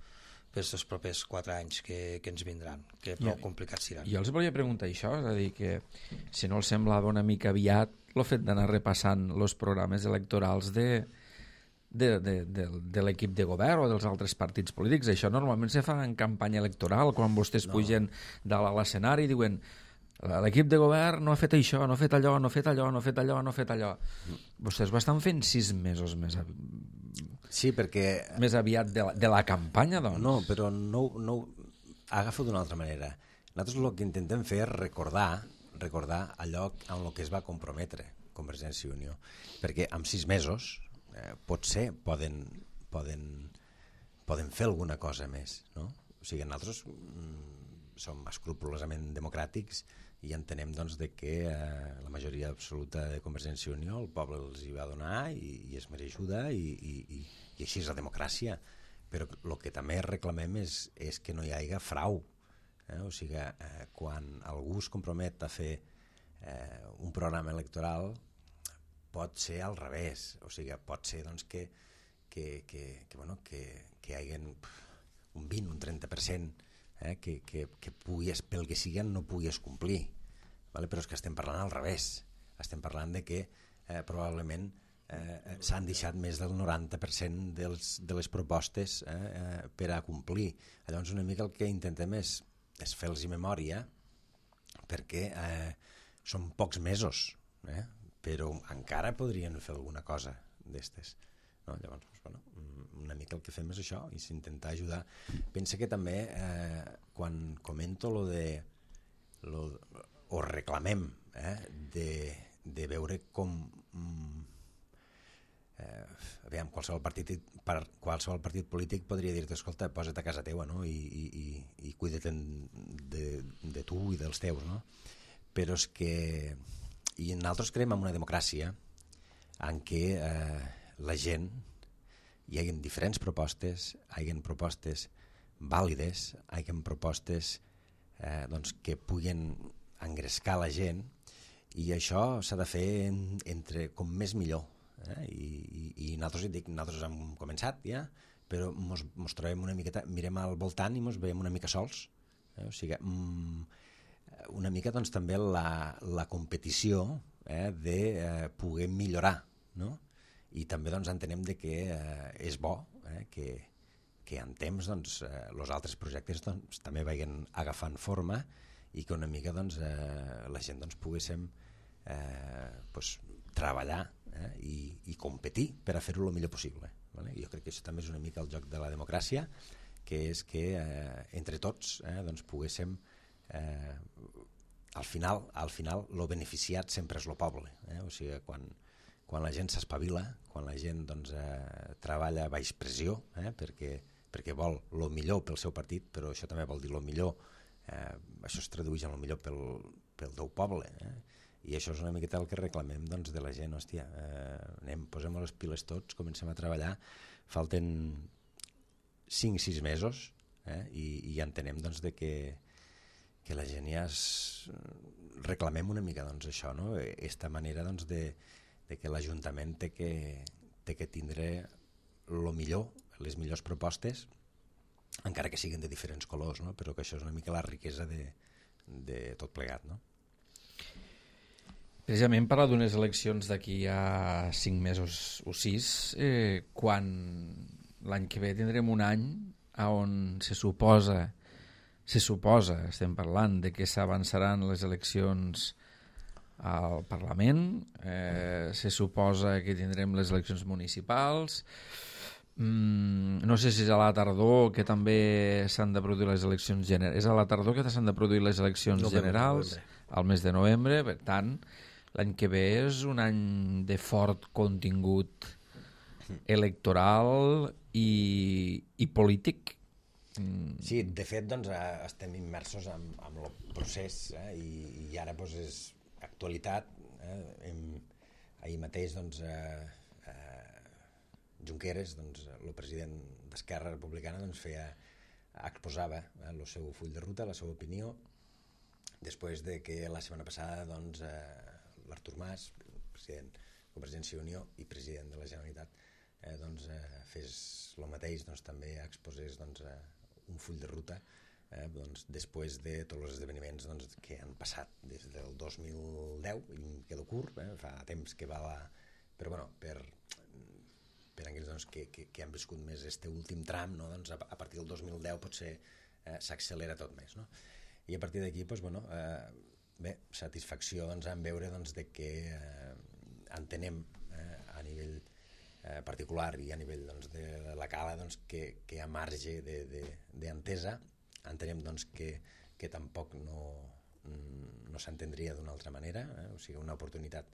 per estos propers quatre anys que, que ens vindran, que prou complicats seran. Jo els volia preguntar això, és a dir, que si no els semblava una mica aviat el fet d'anar repassant els programes electorals de, de, de, de, de l'equip de govern o dels altres partits polítics. Això normalment se fa en campanya electoral, quan vostès no. pugen dalt a l'escenari i diuen l'equip de govern no ha fet això, no ha fet allò, no ha fet allò, no ha fet allò, no ha fet allò. Mm. Vostès ho estan fent sis mesos més, av... sí, perquè... més aviat de la, de la campanya, doncs. No, però no, no... agafo d'una altra manera. Nosaltres el que intentem fer és recordar, recordar allò amb el que es va comprometre Convergència i Unió. Perquè en sis mesos eh, potser poden, poden, poden fer alguna cosa més, no? O sigui, nosaltres mm, som escrupolosament democràtics i entenem doncs, de que eh, la majoria absoluta de Convergència i Unió el poble els hi va donar i, i es mereixuda i, i, i, i així és la democràcia. Però el que també reclamem és, és que no hi hagi frau. Eh? O sigui, eh, quan algú es compromet a fer eh, un programa electoral pot ser al revés. O sigui, pot ser doncs, que, que, que, que, bueno, que, que hi hagi un vint, un trenta per cent eh, que, que, que puguis, pel que siguen no puguis complir. Vale? Però és que estem parlant al revés. Estem parlant de que eh, probablement Eh, s'han deixat més del noranta per cent dels, de les propostes eh, eh, per a complir. Llavors una mica el que intentem és, és fer-los memòria perquè eh, són pocs mesos, eh, però encara podrien fer alguna cosa d'estes. No? Llavors, doncs, bueno, una mica el que fem és això, i s'intenta ajudar. Pensa que també eh, quan comento lo de lo, o reclamem eh, de, de veure com mm, Eh, aviam, qualsevol partit, per, qualsevol partit polític podria dir-te, escolta, posa't a casa teua, no? I, i, i, i cuida't de, de tu i dels teus, no? Però és que i nosaltres creiem en una democràcia en què eh, la gent hi hagi diferents propostes, hi hagi propostes vàlides, hi hagi propostes eh, doncs, que puguin engrescar la gent, i això s'ha de fer en, entre com més millor. Eh? I, i, i nosaltres, dic, nosaltres hem començat ja, però mos, mos trobem una miqueta, mirem al voltant i mos veiem una mica sols, eh? O sigui, mm, una mica doncs, també la, la competició eh, de eh, poder millorar, no? I també doncs, entenem de que eh, és bo eh, que, que en temps doncs, eh, els altres projectes doncs, també vagin agafant forma i que una mica doncs, eh, la gent doncs, poguéssim eh, pues, treballar eh, i, i competir per a fer-ho el millor possible. Vale? Jo crec que això també és una mica el joc de la democràcia, que és que eh, entre tots eh, doncs poguéssim eh, al final, al final lo beneficiat sempre és el poble. Eh? O sigui, quan, quan la gent s'espavila, quan la gent doncs, eh, treballa a baix pressió eh, perquè, perquè vol el millor pel seu partit, però això també vol dir el millor, eh, això es tradueix en el millor pel, pel teu poble. Eh? I això és una miqueta el que reclamem doncs, de la gent. Hòstia, eh, anem, posem les piles tots, comencem a treballar, falten cinc sis mesos eh, i, i entenem doncs, de que, que la gent ja es... reclamem una mica doncs, això, no? Esta manera doncs, de, de que l'Ajuntament té que, té que tindre el millor, les millors propostes, encara que siguin de diferents colors, no? Però que això és una mica la riquesa de, de tot plegat, no? Precisament parlar d'unes eleccions d'aquí a cinc mesos o sis, eh, quan l'any que ve tindrem un any on se suposa, se suposa, estem parlant, de que s'avançaran les eleccions al Parlament, eh, se suposa que tindrem les eleccions municipals, mm, no sé si és a la tardor que també s'han de produir les eleccions generals, és a la tardor que s'han de produir les eleccions no, generals, al mes de novembre, per tant, l'any que ve és un any de fort contingut electoral i, i polític. Sí, de fet doncs, estem immersos en, en el procés eh, i, i ara doncs, és actualitat. Eh, hem, ahir mateix doncs, eh, eh, Junqueras, doncs, el president d'Esquerra Republicana, doncs, feia, exposava eh, el seu full de ruta, la seva opinió, després de que la setmana passada doncs, eh, l'Artur Mas, president de Convergència i Unió i president de la Generalitat, eh, doncs, eh, fes el mateix, doncs, també exposés doncs, eh, un full de ruta eh, doncs, després de tots els esdeveniments doncs, que han passat des del dos mil deu, i em quedo curt, eh, fa temps que va la... però bueno, per, per aquells doncs, que, que, que han viscut més este últim tram, no? Doncs a, a partir del dos mil deu potser eh, s'accelera tot més, no? I a partir d'aquí, doncs, bueno, eh, bé, satisfacció doncs, en veure doncs, de que eh, entenem eh, a nivell eh, particular i a nivell doncs, de la cala doncs, que, que a marge d'entesa entenem doncs, que, que tampoc no, no s'entendria d'una altra manera, eh? O sigui, una oportunitat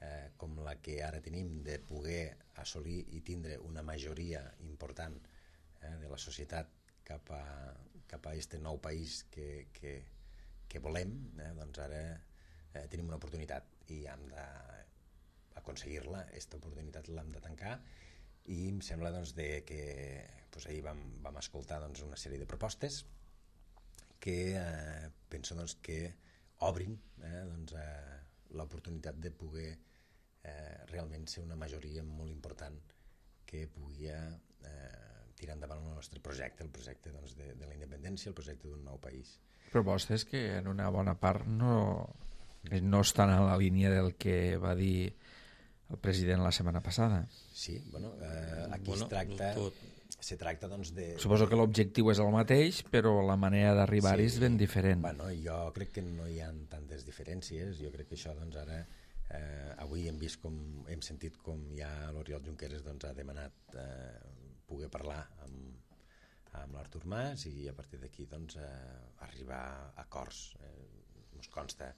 eh, com la que ara tenim de poder assolir i tindre una majoria important eh, de la societat cap a, cap a este nou país que, que, que volem, eh, doncs ara eh, tenim una oportunitat i hem d'aconseguir-la, aquesta oportunitat l'hem de tancar, i em sembla doncs, de que doncs, ahir vam, vam escoltar doncs, una sèrie de propostes que eh, penso doncs, que obrin eh, doncs, eh, l'oportunitat de poder eh, realment ser una majoria molt important que pugui eh, tirar endavant el nostre projecte, el projecte doncs, de, de la independència, el projecte d'un nou país. Propostes que en una bona part no, no estan en la línia del que va dir el president la setmana passada. Sí, bueno, eh, aquí bueno, es tracta... tot. Se tracta, doncs, de... Suposo que l'objectiu és el mateix, però la manera d'arribar-hi sí, és ben diferent. Bueno, jo crec que no hi ha tantes diferències. Jo crec que això, doncs, ara... Eh, avui hem vist com... Hem sentit com ja l'Oriol Junqueras doncs, ha demanat eh, poder parlar amb, amb l'Artur Mas i a partir d'aquí, doncs, eh, arribar a acords. Eh, ens consta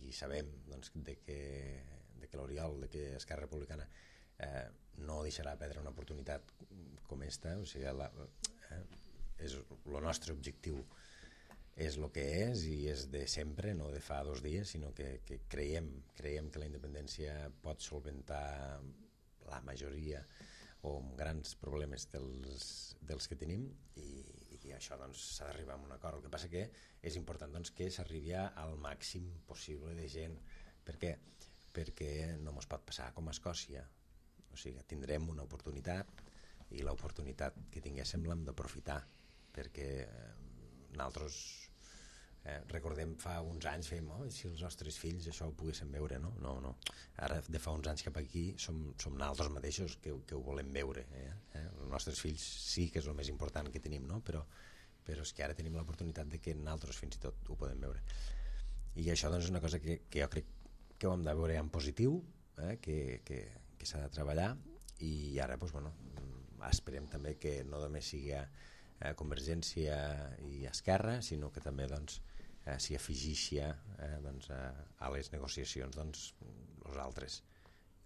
i sabem, doncs, de que, de que l'Oriol, de que Esquerra Republicana eh, no deixarà perdre una oportunitat com esta, o sigui, la, eh, és el nostre objectiu és el que és i és de sempre, no de fa dos dies, sinó que, que creiem, creiem que la independència pot solventar la majoria o grans problemes dels, dels que tenim i, i això doncs, s'ha d'arribar a un acord. El que passa que és important doncs, que s'arribi al màxim possible de gent. Per què? Perquè no ens pot passar com a Escòcia. O sigui, tindrem una oportunitat i l'oportunitat que tinguéssim l'hem d'aprofitar, perquè eh, nosaltres eh, recordem fa uns anys fèiem, oh, si els nostres fills això ho poguessin veure, no? No, no. Ara de fa uns anys cap aquí som, som nosaltres mateixos que, que ho volem veure, eh? Eh? Els nostres fills sí que és el més important que tenim, no? Però, però és que ara tenim l'oportunitat de que nosaltres fins i tot ho podem veure, i això doncs, és una cosa que, que jo crec que ho hem de veure en positiu, eh? que, que, que s'ha de treballar, i ara doncs, bueno, esperem també que no només sigui eh, Convergència i Esquerra, sinó que també doncs, eh, s'hi afegeixi eh, doncs, a, a les negociacions doncs, els altres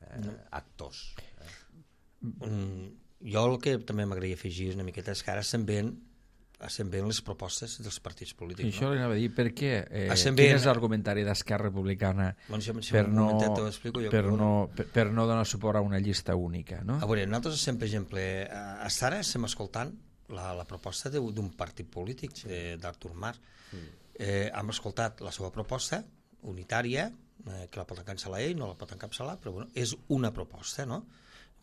eh, no. actors. Eh. Mm, jo el que també m'agradaria afegir una miqueta és que ara se'n ven, se'n ven les propostes dels partits polítics. I això no? li anava a dir, per què? Eh, quin ben... és l'argumentari d'Esquerra Republicana bueno, si, si per, no, explico, jo, per, però... no, per, per no donar suport a una llista única? No? A veure, nosaltres estem, per exemple, a Sara estem escoltant la, la proposta d'un partit polític, sí. d'Artur Mas. Mm. Eh, hem escoltat la seva proposta unitària, eh, que la pot encapçalar ell, no la pot encapçalar, però bueno, és una proposta, no?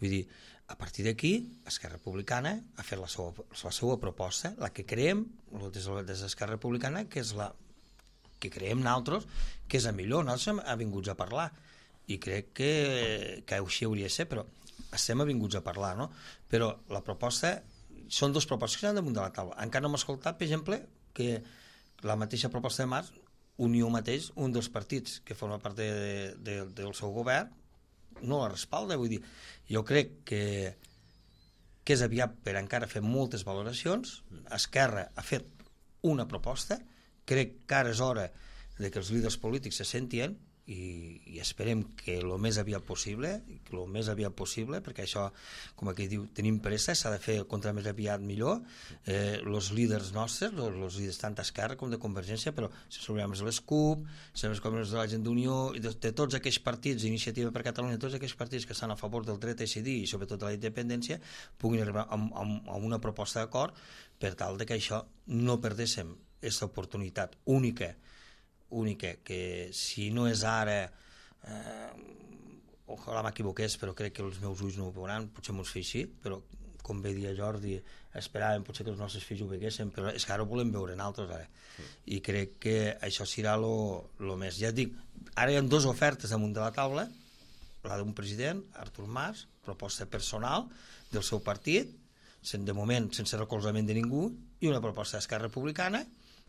Vull dir, a partir d'aquí, Esquerra Republicana ha fet la seva, la seva proposta, la que creiem, des d'Esquerra Republicana, que és la que creiem nosaltres, que és la millor. Nosaltres hem vinguts a parlar, i crec que, que així hauria de ser, però estem avinguts a parlar, no? Però la proposta, són dues propostes que estan damunt de la taula. Encara no hem escoltat, per exemple, que la mateixa proposta de Mas, Unió mateix, un dels partits que forma part de, de, del seu govern, no la respalda. Vull dir, jo crec que, que és aviat per encara fer moltes valoracions. Esquerra ha fet una proposta, crec que ara és hora de que els líders polítics se sentien i, i esperem que el més aviat possible, el més aviat possible, perquè això, com aquí diu, tenim pressa, s'ha de fer contra més aviat millor. Eh, els líders nostres, els líders tant d'Esquerra com de Convergència, però si sabem les CUP, sabem com els de la gent d'Unió, de, de tots aquells partits, Iniciativa per Catalunya, tots aquells partits que estan a favor del dret a decidir i sobretot de la independència, puguin arribar a, a, a una proposta d'acord per tal de que això no perdéssim aquesta oportunitat única única, que si no és ara eh, ojalà m'equivoqués, però crec que els meus ulls no ho veuran, potser m'ho fer així, però com bé dia Jordi, esperàvem potser que els nostres fills ho veguessin, però és que ara ho volem veure nosaltres ara. Sí. I crec que això serà el més. Ja et dic, ara hi ha dues ofertes damunt de la taula, la d'un president, Artur Mas, proposta personal del seu partit, de moment sense recolzament de ningú, i una proposta d'Esquerra Republicana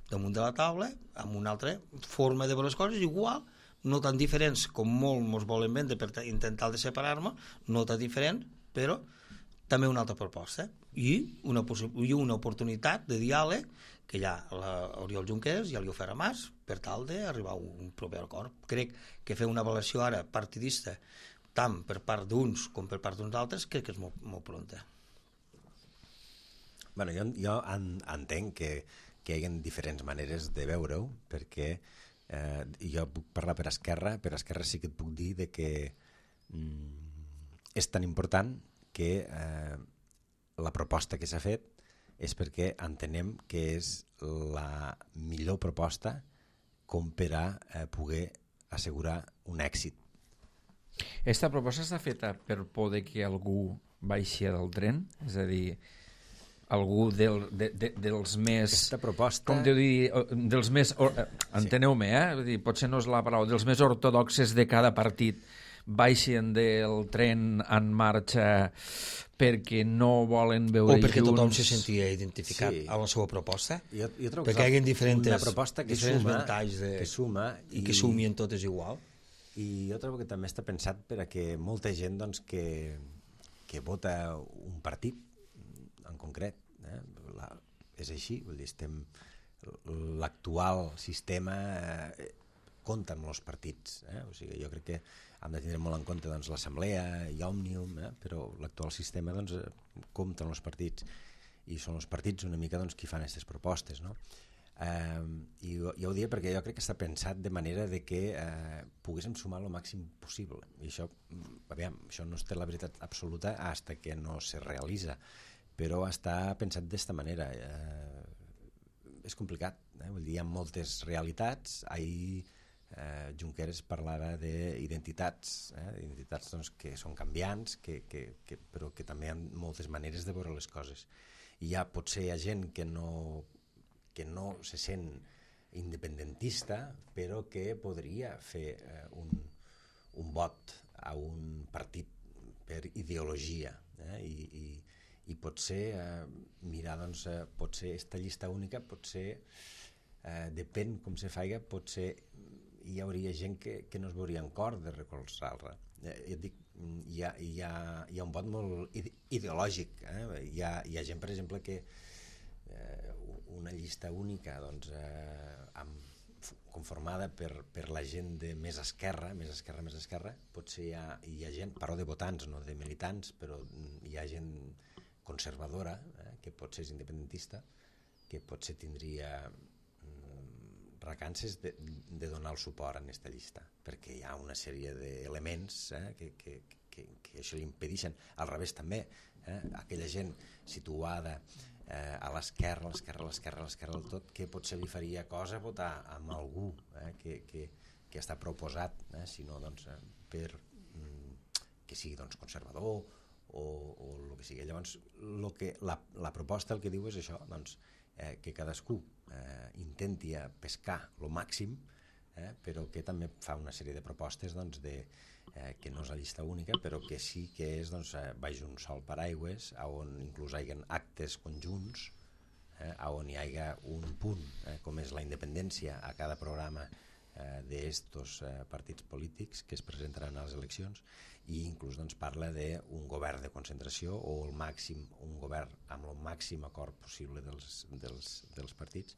damunt de la taula, amb una altra forma de veure les coses, igual, no tan diferents com molt ens volen vendre per intentar de separar-nos, no tan diferent, però també una altra proposta i una, i una oportunitat de diàleg que ja l'Oriol Junqueras ja li ofereix a Mas per tal d'arribar a un proper acord. Crec que fer una avaluació ara partidista tant per part d'uns com per part d'uns altres crec que és molt, molt pronta. Bueno, jo, jo en, entenc que, que hi ha diferents maneres de veure-ho, perquè eh, jo puc parlar per Esquerra, per Esquerra sí que et puc dir de que mm, és tan important que eh, la proposta que s'ha fet és perquè entenem que és la millor proposta com per a eh, poder assegurar un èxit. Esta proposta està feta per poder que algú baixi del tren? És a dir, algú del, de, de, dels més... Aquesta proposta... Com deu dir, dels més... Enteneu-me, eh? Vull dir, potser no és la paraula, dels més ortodoxes de cada partit baixen del tren en marxa perquè no volen veure junts... O perquè junts. tothom se sentia identificat sí. a la seva proposta. Jo, jo trobo perquè hi ha diferents, una proposta que diferents suma, ventalls de, que suma i, i que sumien totes igual. I jo trobo que també està pensat per a que molta gent doncs, que, que vota un partit en concret, eh? La, és així, vull dir, estem l'actual sistema eh, compta amb els partits, eh? O sigui, jo crec que hem de tenir molt en compte doncs, l'Assemblea i Òmnium, eh? Però l'actual sistema doncs, compta amb els partits i són els partits una mica doncs, qui fan aquestes propostes, no? Eh, i jo, jo ho diria perquè jo crec que està pensat de manera de que eh, poguéssim sumar el màxim possible i això, aviam, això no té la veritat absoluta hasta que no se realitza, però està pensat d'esta manera. Eh, és complicat, eh? Vull dir, hi ha moltes realitats. Ahir eh, Junqueras parlava d'identitats, eh? identitats doncs, que són canviants, que, que, que, però que també hi ha moltes maneres de veure les coses. I ja potser hi ha gent que no que no se sent independentista, però que podria fer eh, un, un vot a un partit per ideologia. Eh? I, i, I potser eh, mirar, doncs, eh, potser aquesta llista única, potser, eh, depèn com se faiga, potser hi hauria gent que, que no es veuria en cor de recolzar-la. Eh, jo dic, hi ha, hi, ha, hi ha un vot molt ideològic. Eh? Hi, ha, hi ha gent, per exemple, que eh, una llista única doncs, eh, amb, conformada per, per la gent de més esquerra, més esquerra, més esquerra, potser hi ha, hi ha gent, parlo de votants, no de militants, però hi ha gent conservadora, eh, que potser és independentista, que potser tindria mm, recances de, de donar el suport en aquesta llista, perquè hi ha una sèrie d'elements eh, que, que, que, que això li impedeixen. Al revés també, eh, aquella gent situada Eh, a l'esquerra, a l'esquerra, a l'esquerra, a l'esquerra del tot, que potser li faria cosa votar amb algú eh, que, que, que està proposat, eh, sinó doncs, eh, per mm, que sigui doncs, conservador o, o el que sigui. Llavors, lo que, la, la proposta el que diu és això, doncs, eh, que cadascú eh, intenti pescar el màxim, eh, però que també fa una sèrie de propostes doncs, de, eh, que no és la llista única, però que sí que és doncs, eh, baix un sol paraigües, on inclús hi ha actes conjunts, eh, on hi hagi un punt, eh, com és la independència a cada programa eh, d'estos eh, partits polítics que es presentaran a les eleccions, i inclús doncs, parla d'un govern de concentració o el màxim, un govern amb el màxim acord possible dels, dels, dels partits.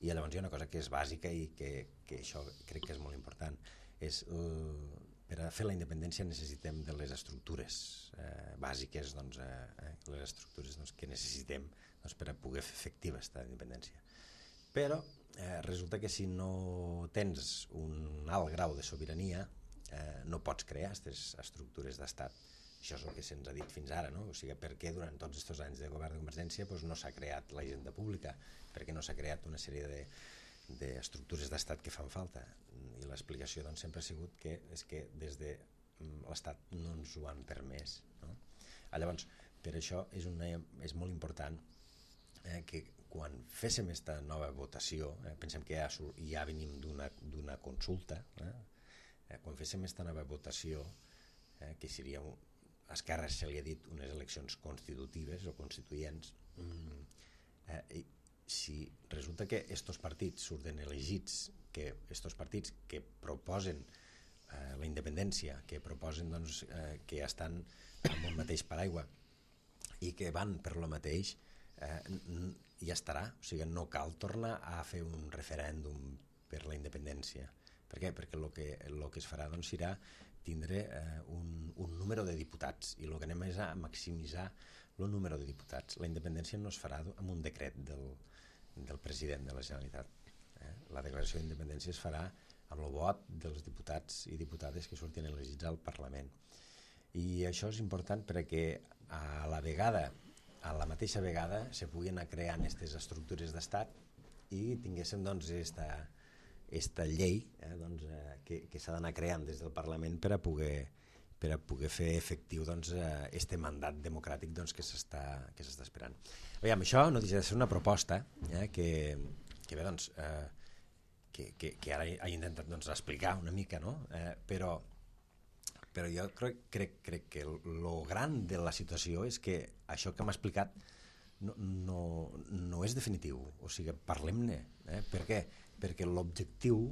I llavors hi ha una cosa que és bàsica i que, que això crec que és molt important, és el, per a fer la independència necessitem de les estructures eh, bàsiques, doncs, eh, les estructures doncs, que necessitem doncs, per a poder fer efectiva aquesta independència. Però eh, resulta que si no tens un alt grau de sobirania eh, no pots crear aquestes estructures d'estat. Això és el que se'ns ha dit fins ara, no? O sigui, per què durant tots aquests anys de govern de Convergència doncs, no s'ha creat la hisenda pública, perquè no s'ha creat una sèrie de d'estructures d'estat que fan falta, i l'explicació doncs, sempre ha sigut que és que des de l'Estat no ens ho han permès, no? Llavors, per això és, una, és molt important eh, que quan féssim aquesta nova votació, eh, pensem que ja, ja venim d'una consulta, eh, eh, quan féssim aquesta nova votació, eh, que seria un, a Esquerra se li ha dit unes eleccions constitutives o constituents, mm, eh, si resulta que estos partits surten elegits, que estos partits que proposen eh, la independència, que proposen doncs, eh, que estan amb un mateix paraigua i que van per lo mateix, eh, ja estarà. O sigui, no cal tornar a fer un referèndum per la independència. Per què? Perquè el que, lo que es farà doncs, serà tindre eh, un, un número de diputats, i el que anem és a maximitzar el número de diputats. La independència no es farà amb un decret del, del president de la Generalitat. Eh? La declaració d'independència es farà amb el vot dels diputats i diputades que surtin elegits al Parlament. I això és important perquè a la vegada, a la mateixa vegada, se puguin anar creant aquestes estructures d'estat i tinguéssim doncs esta, esta llei eh, doncs, eh, que, que s'ha d'anar creant des del Parlament per a poder, per a poder fer efectiu doncs, eh, este mandat democràtic doncs, que s'està que s'està esperant. Aviam, això no deixa de ser una proposta eh, que, que bé, doncs, eh, que, que, que ara he intentat doncs, explicar una mica, no? eh, però però jo crec, crec, crec que el gran de la situació és que això que m'ha explicat no, no, no és definitiu, o sigui, parlem-ne. Eh? Per què? Perquè l'objectiu,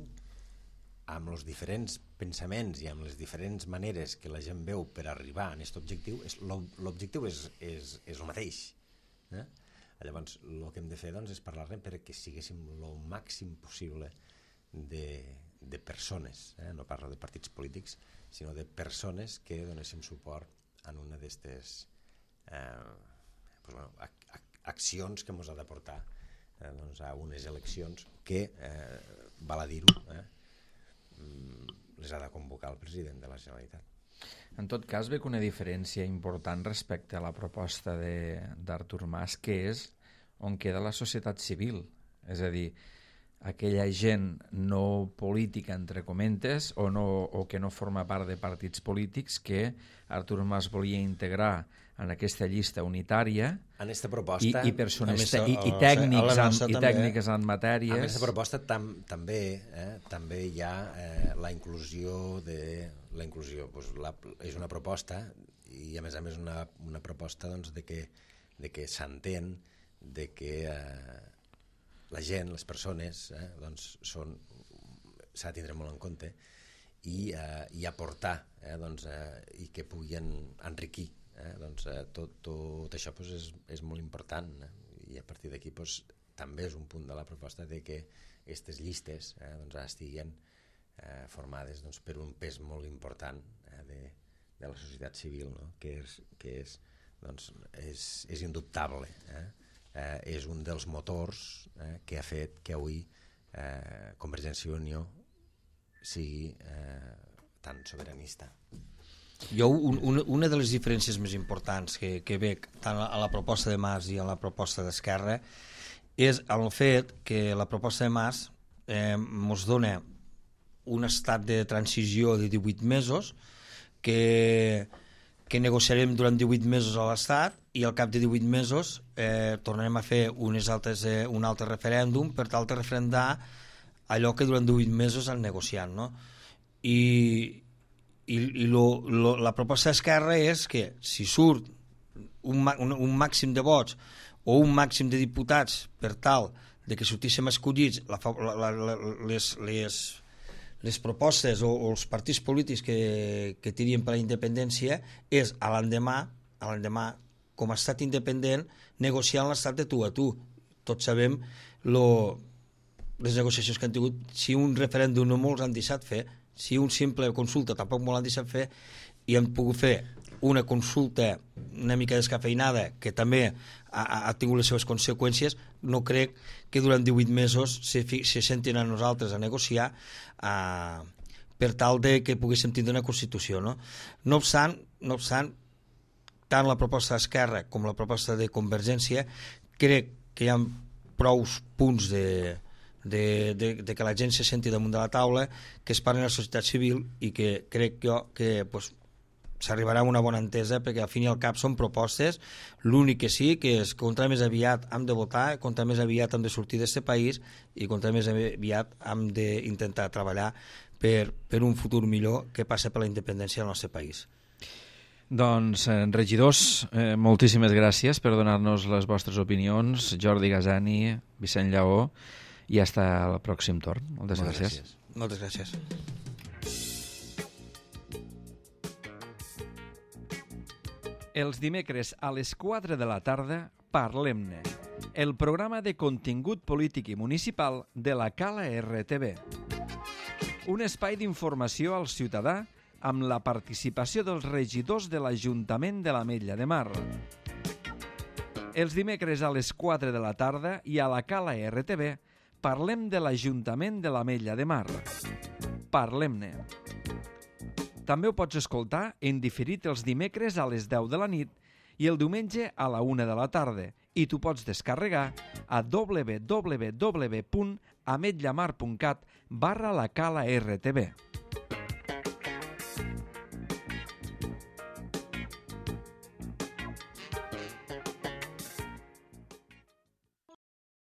amb els diferents pensaments i amb les diferents maneres que la gent veu per arribar a aquest objectiu, l'objectiu és, és, és el mateix. Eh? Llavors, el que hem de fer doncs, és parlar-ne perquè siguéssim el màxim possible de, de persones, eh? No parlo de partits polítics, sinó de persones que donéssim suport en una d'aquestes eh, pues, bueno, ac ac accions que ens ha de portar eh, doncs, a unes eleccions que, eh, val a dir-ho, eh, les ha de convocar el president de la Generalitat. En tot cas, ve que una diferència important respecte a la proposta d'Artur Mas, que és on queda la societat civil, és a dir, aquella gent no política, entre comentes, o, no, o que no forma part de partits polítics que Artur Mas volia integrar en aquesta llista unitària en esta proposta, i, i persones més, te, i, i, o, tècnics o, en, i també, tècniques en matèries. En aquesta proposta tam, també eh, també hi ha eh, la inclusió de la inclusió, doncs, la, és una proposta i a més a més una, una proposta doncs, de que, de que s'entén de que eh, la gent, les persones, eh, doncs són, s'ha de tindre molt en compte i, eh, i aportar eh, doncs, eh, i que puguin enriquir. Eh, doncs, eh, tot, tot això doncs, és, és molt important eh, i a partir d'aquí doncs, també és un punt de la proposta de que aquestes llistes eh, doncs, estiguin eh, formades doncs, per un pes molt important eh, de, de la societat civil, no? que, és, que és, doncs, és, és indubtable. Eh? Eh, és un dels motors eh, que ha fet que avui eh, Convergència i Unió sigui eh, tan sobiranista. Jo, un, una, una de les diferències més importants que, que veig tant a la proposta de Mas i a la proposta d'Esquerra és el fet que la proposta de Mas eh, ens dona un estat de transició de divuit mesos que, que negociarem durant divuit mesos a l'Estat i al cap de divuit mesos eh, tornarem a fer unes altres, eh, un altre referèndum per tal de referendar allò que durant divuit mesos han negociat, no? I, i, i lo, lo, la proposta d'Esquerra és que si surt un, un, un màxim de vots o un màxim de diputats per tal de que sortíssim escollits la, la, la, les, les, les propostes o, o els partits polítics que, que tirien per la independència és a l'endemà a l'endemà com a estat independent, negociant l'estat de tu a tu. Tots sabem lo, les negociacions que han tingut, si un referèndum no molts han deixat fer, si un simple consulta tampoc molt han deixat fer, i han pogut fer una consulta una mica descafeinada, que també ha, ha tingut les seves conseqüències, no crec que durant divuit mesos se, se sentin a nosaltres a negociar a, per tal de que poguéssim tindre una Constitució. No, no obstant, no obstant, tant la proposta d'Esquerra com la proposta de Convergència crec que hi ha prou punts de, de, de, de que la gent se senti damunt de la taula, que es parli a la societat civil i que crec jo que pues, s'arribarà a una bona entesa perquè al fin i al cap són propostes. L'únic que sí que és contra més aviat hem de votar, contra més aviat hem de sortir d'aquest país i contra més aviat hem d'intentar treballar per, per un futur millor que passa per la independència del nostre país. Doncs, eh, regidors, eh, moltíssimes gràcies per donar-nos les vostres opinions. Jordi Gasani, Vicent Lleó, i fins al pròxim torn. Moltes, Moltes gràcies. gràcies. Moltes gràcies. Els dimecres a les quatre de la tarda, Parlem-ne, el programa de contingut polític i municipal de la Cala R T V. Un espai d'informació al ciutadà amb la participació dels regidors de l'Ajuntament de l'Ametlla de Mar. Els dimecres a les quatre de la tarda i a la Cala R T V parlem de l'Ajuntament de l'Ametlla de Mar. Parlem-ne. També ho pots escoltar en diferit els dimecres a les deu de la nit i el diumenge a la una de la tarda, i tu pots descarregar a w w w punt ametllamar punt cat barra la Cala R T V.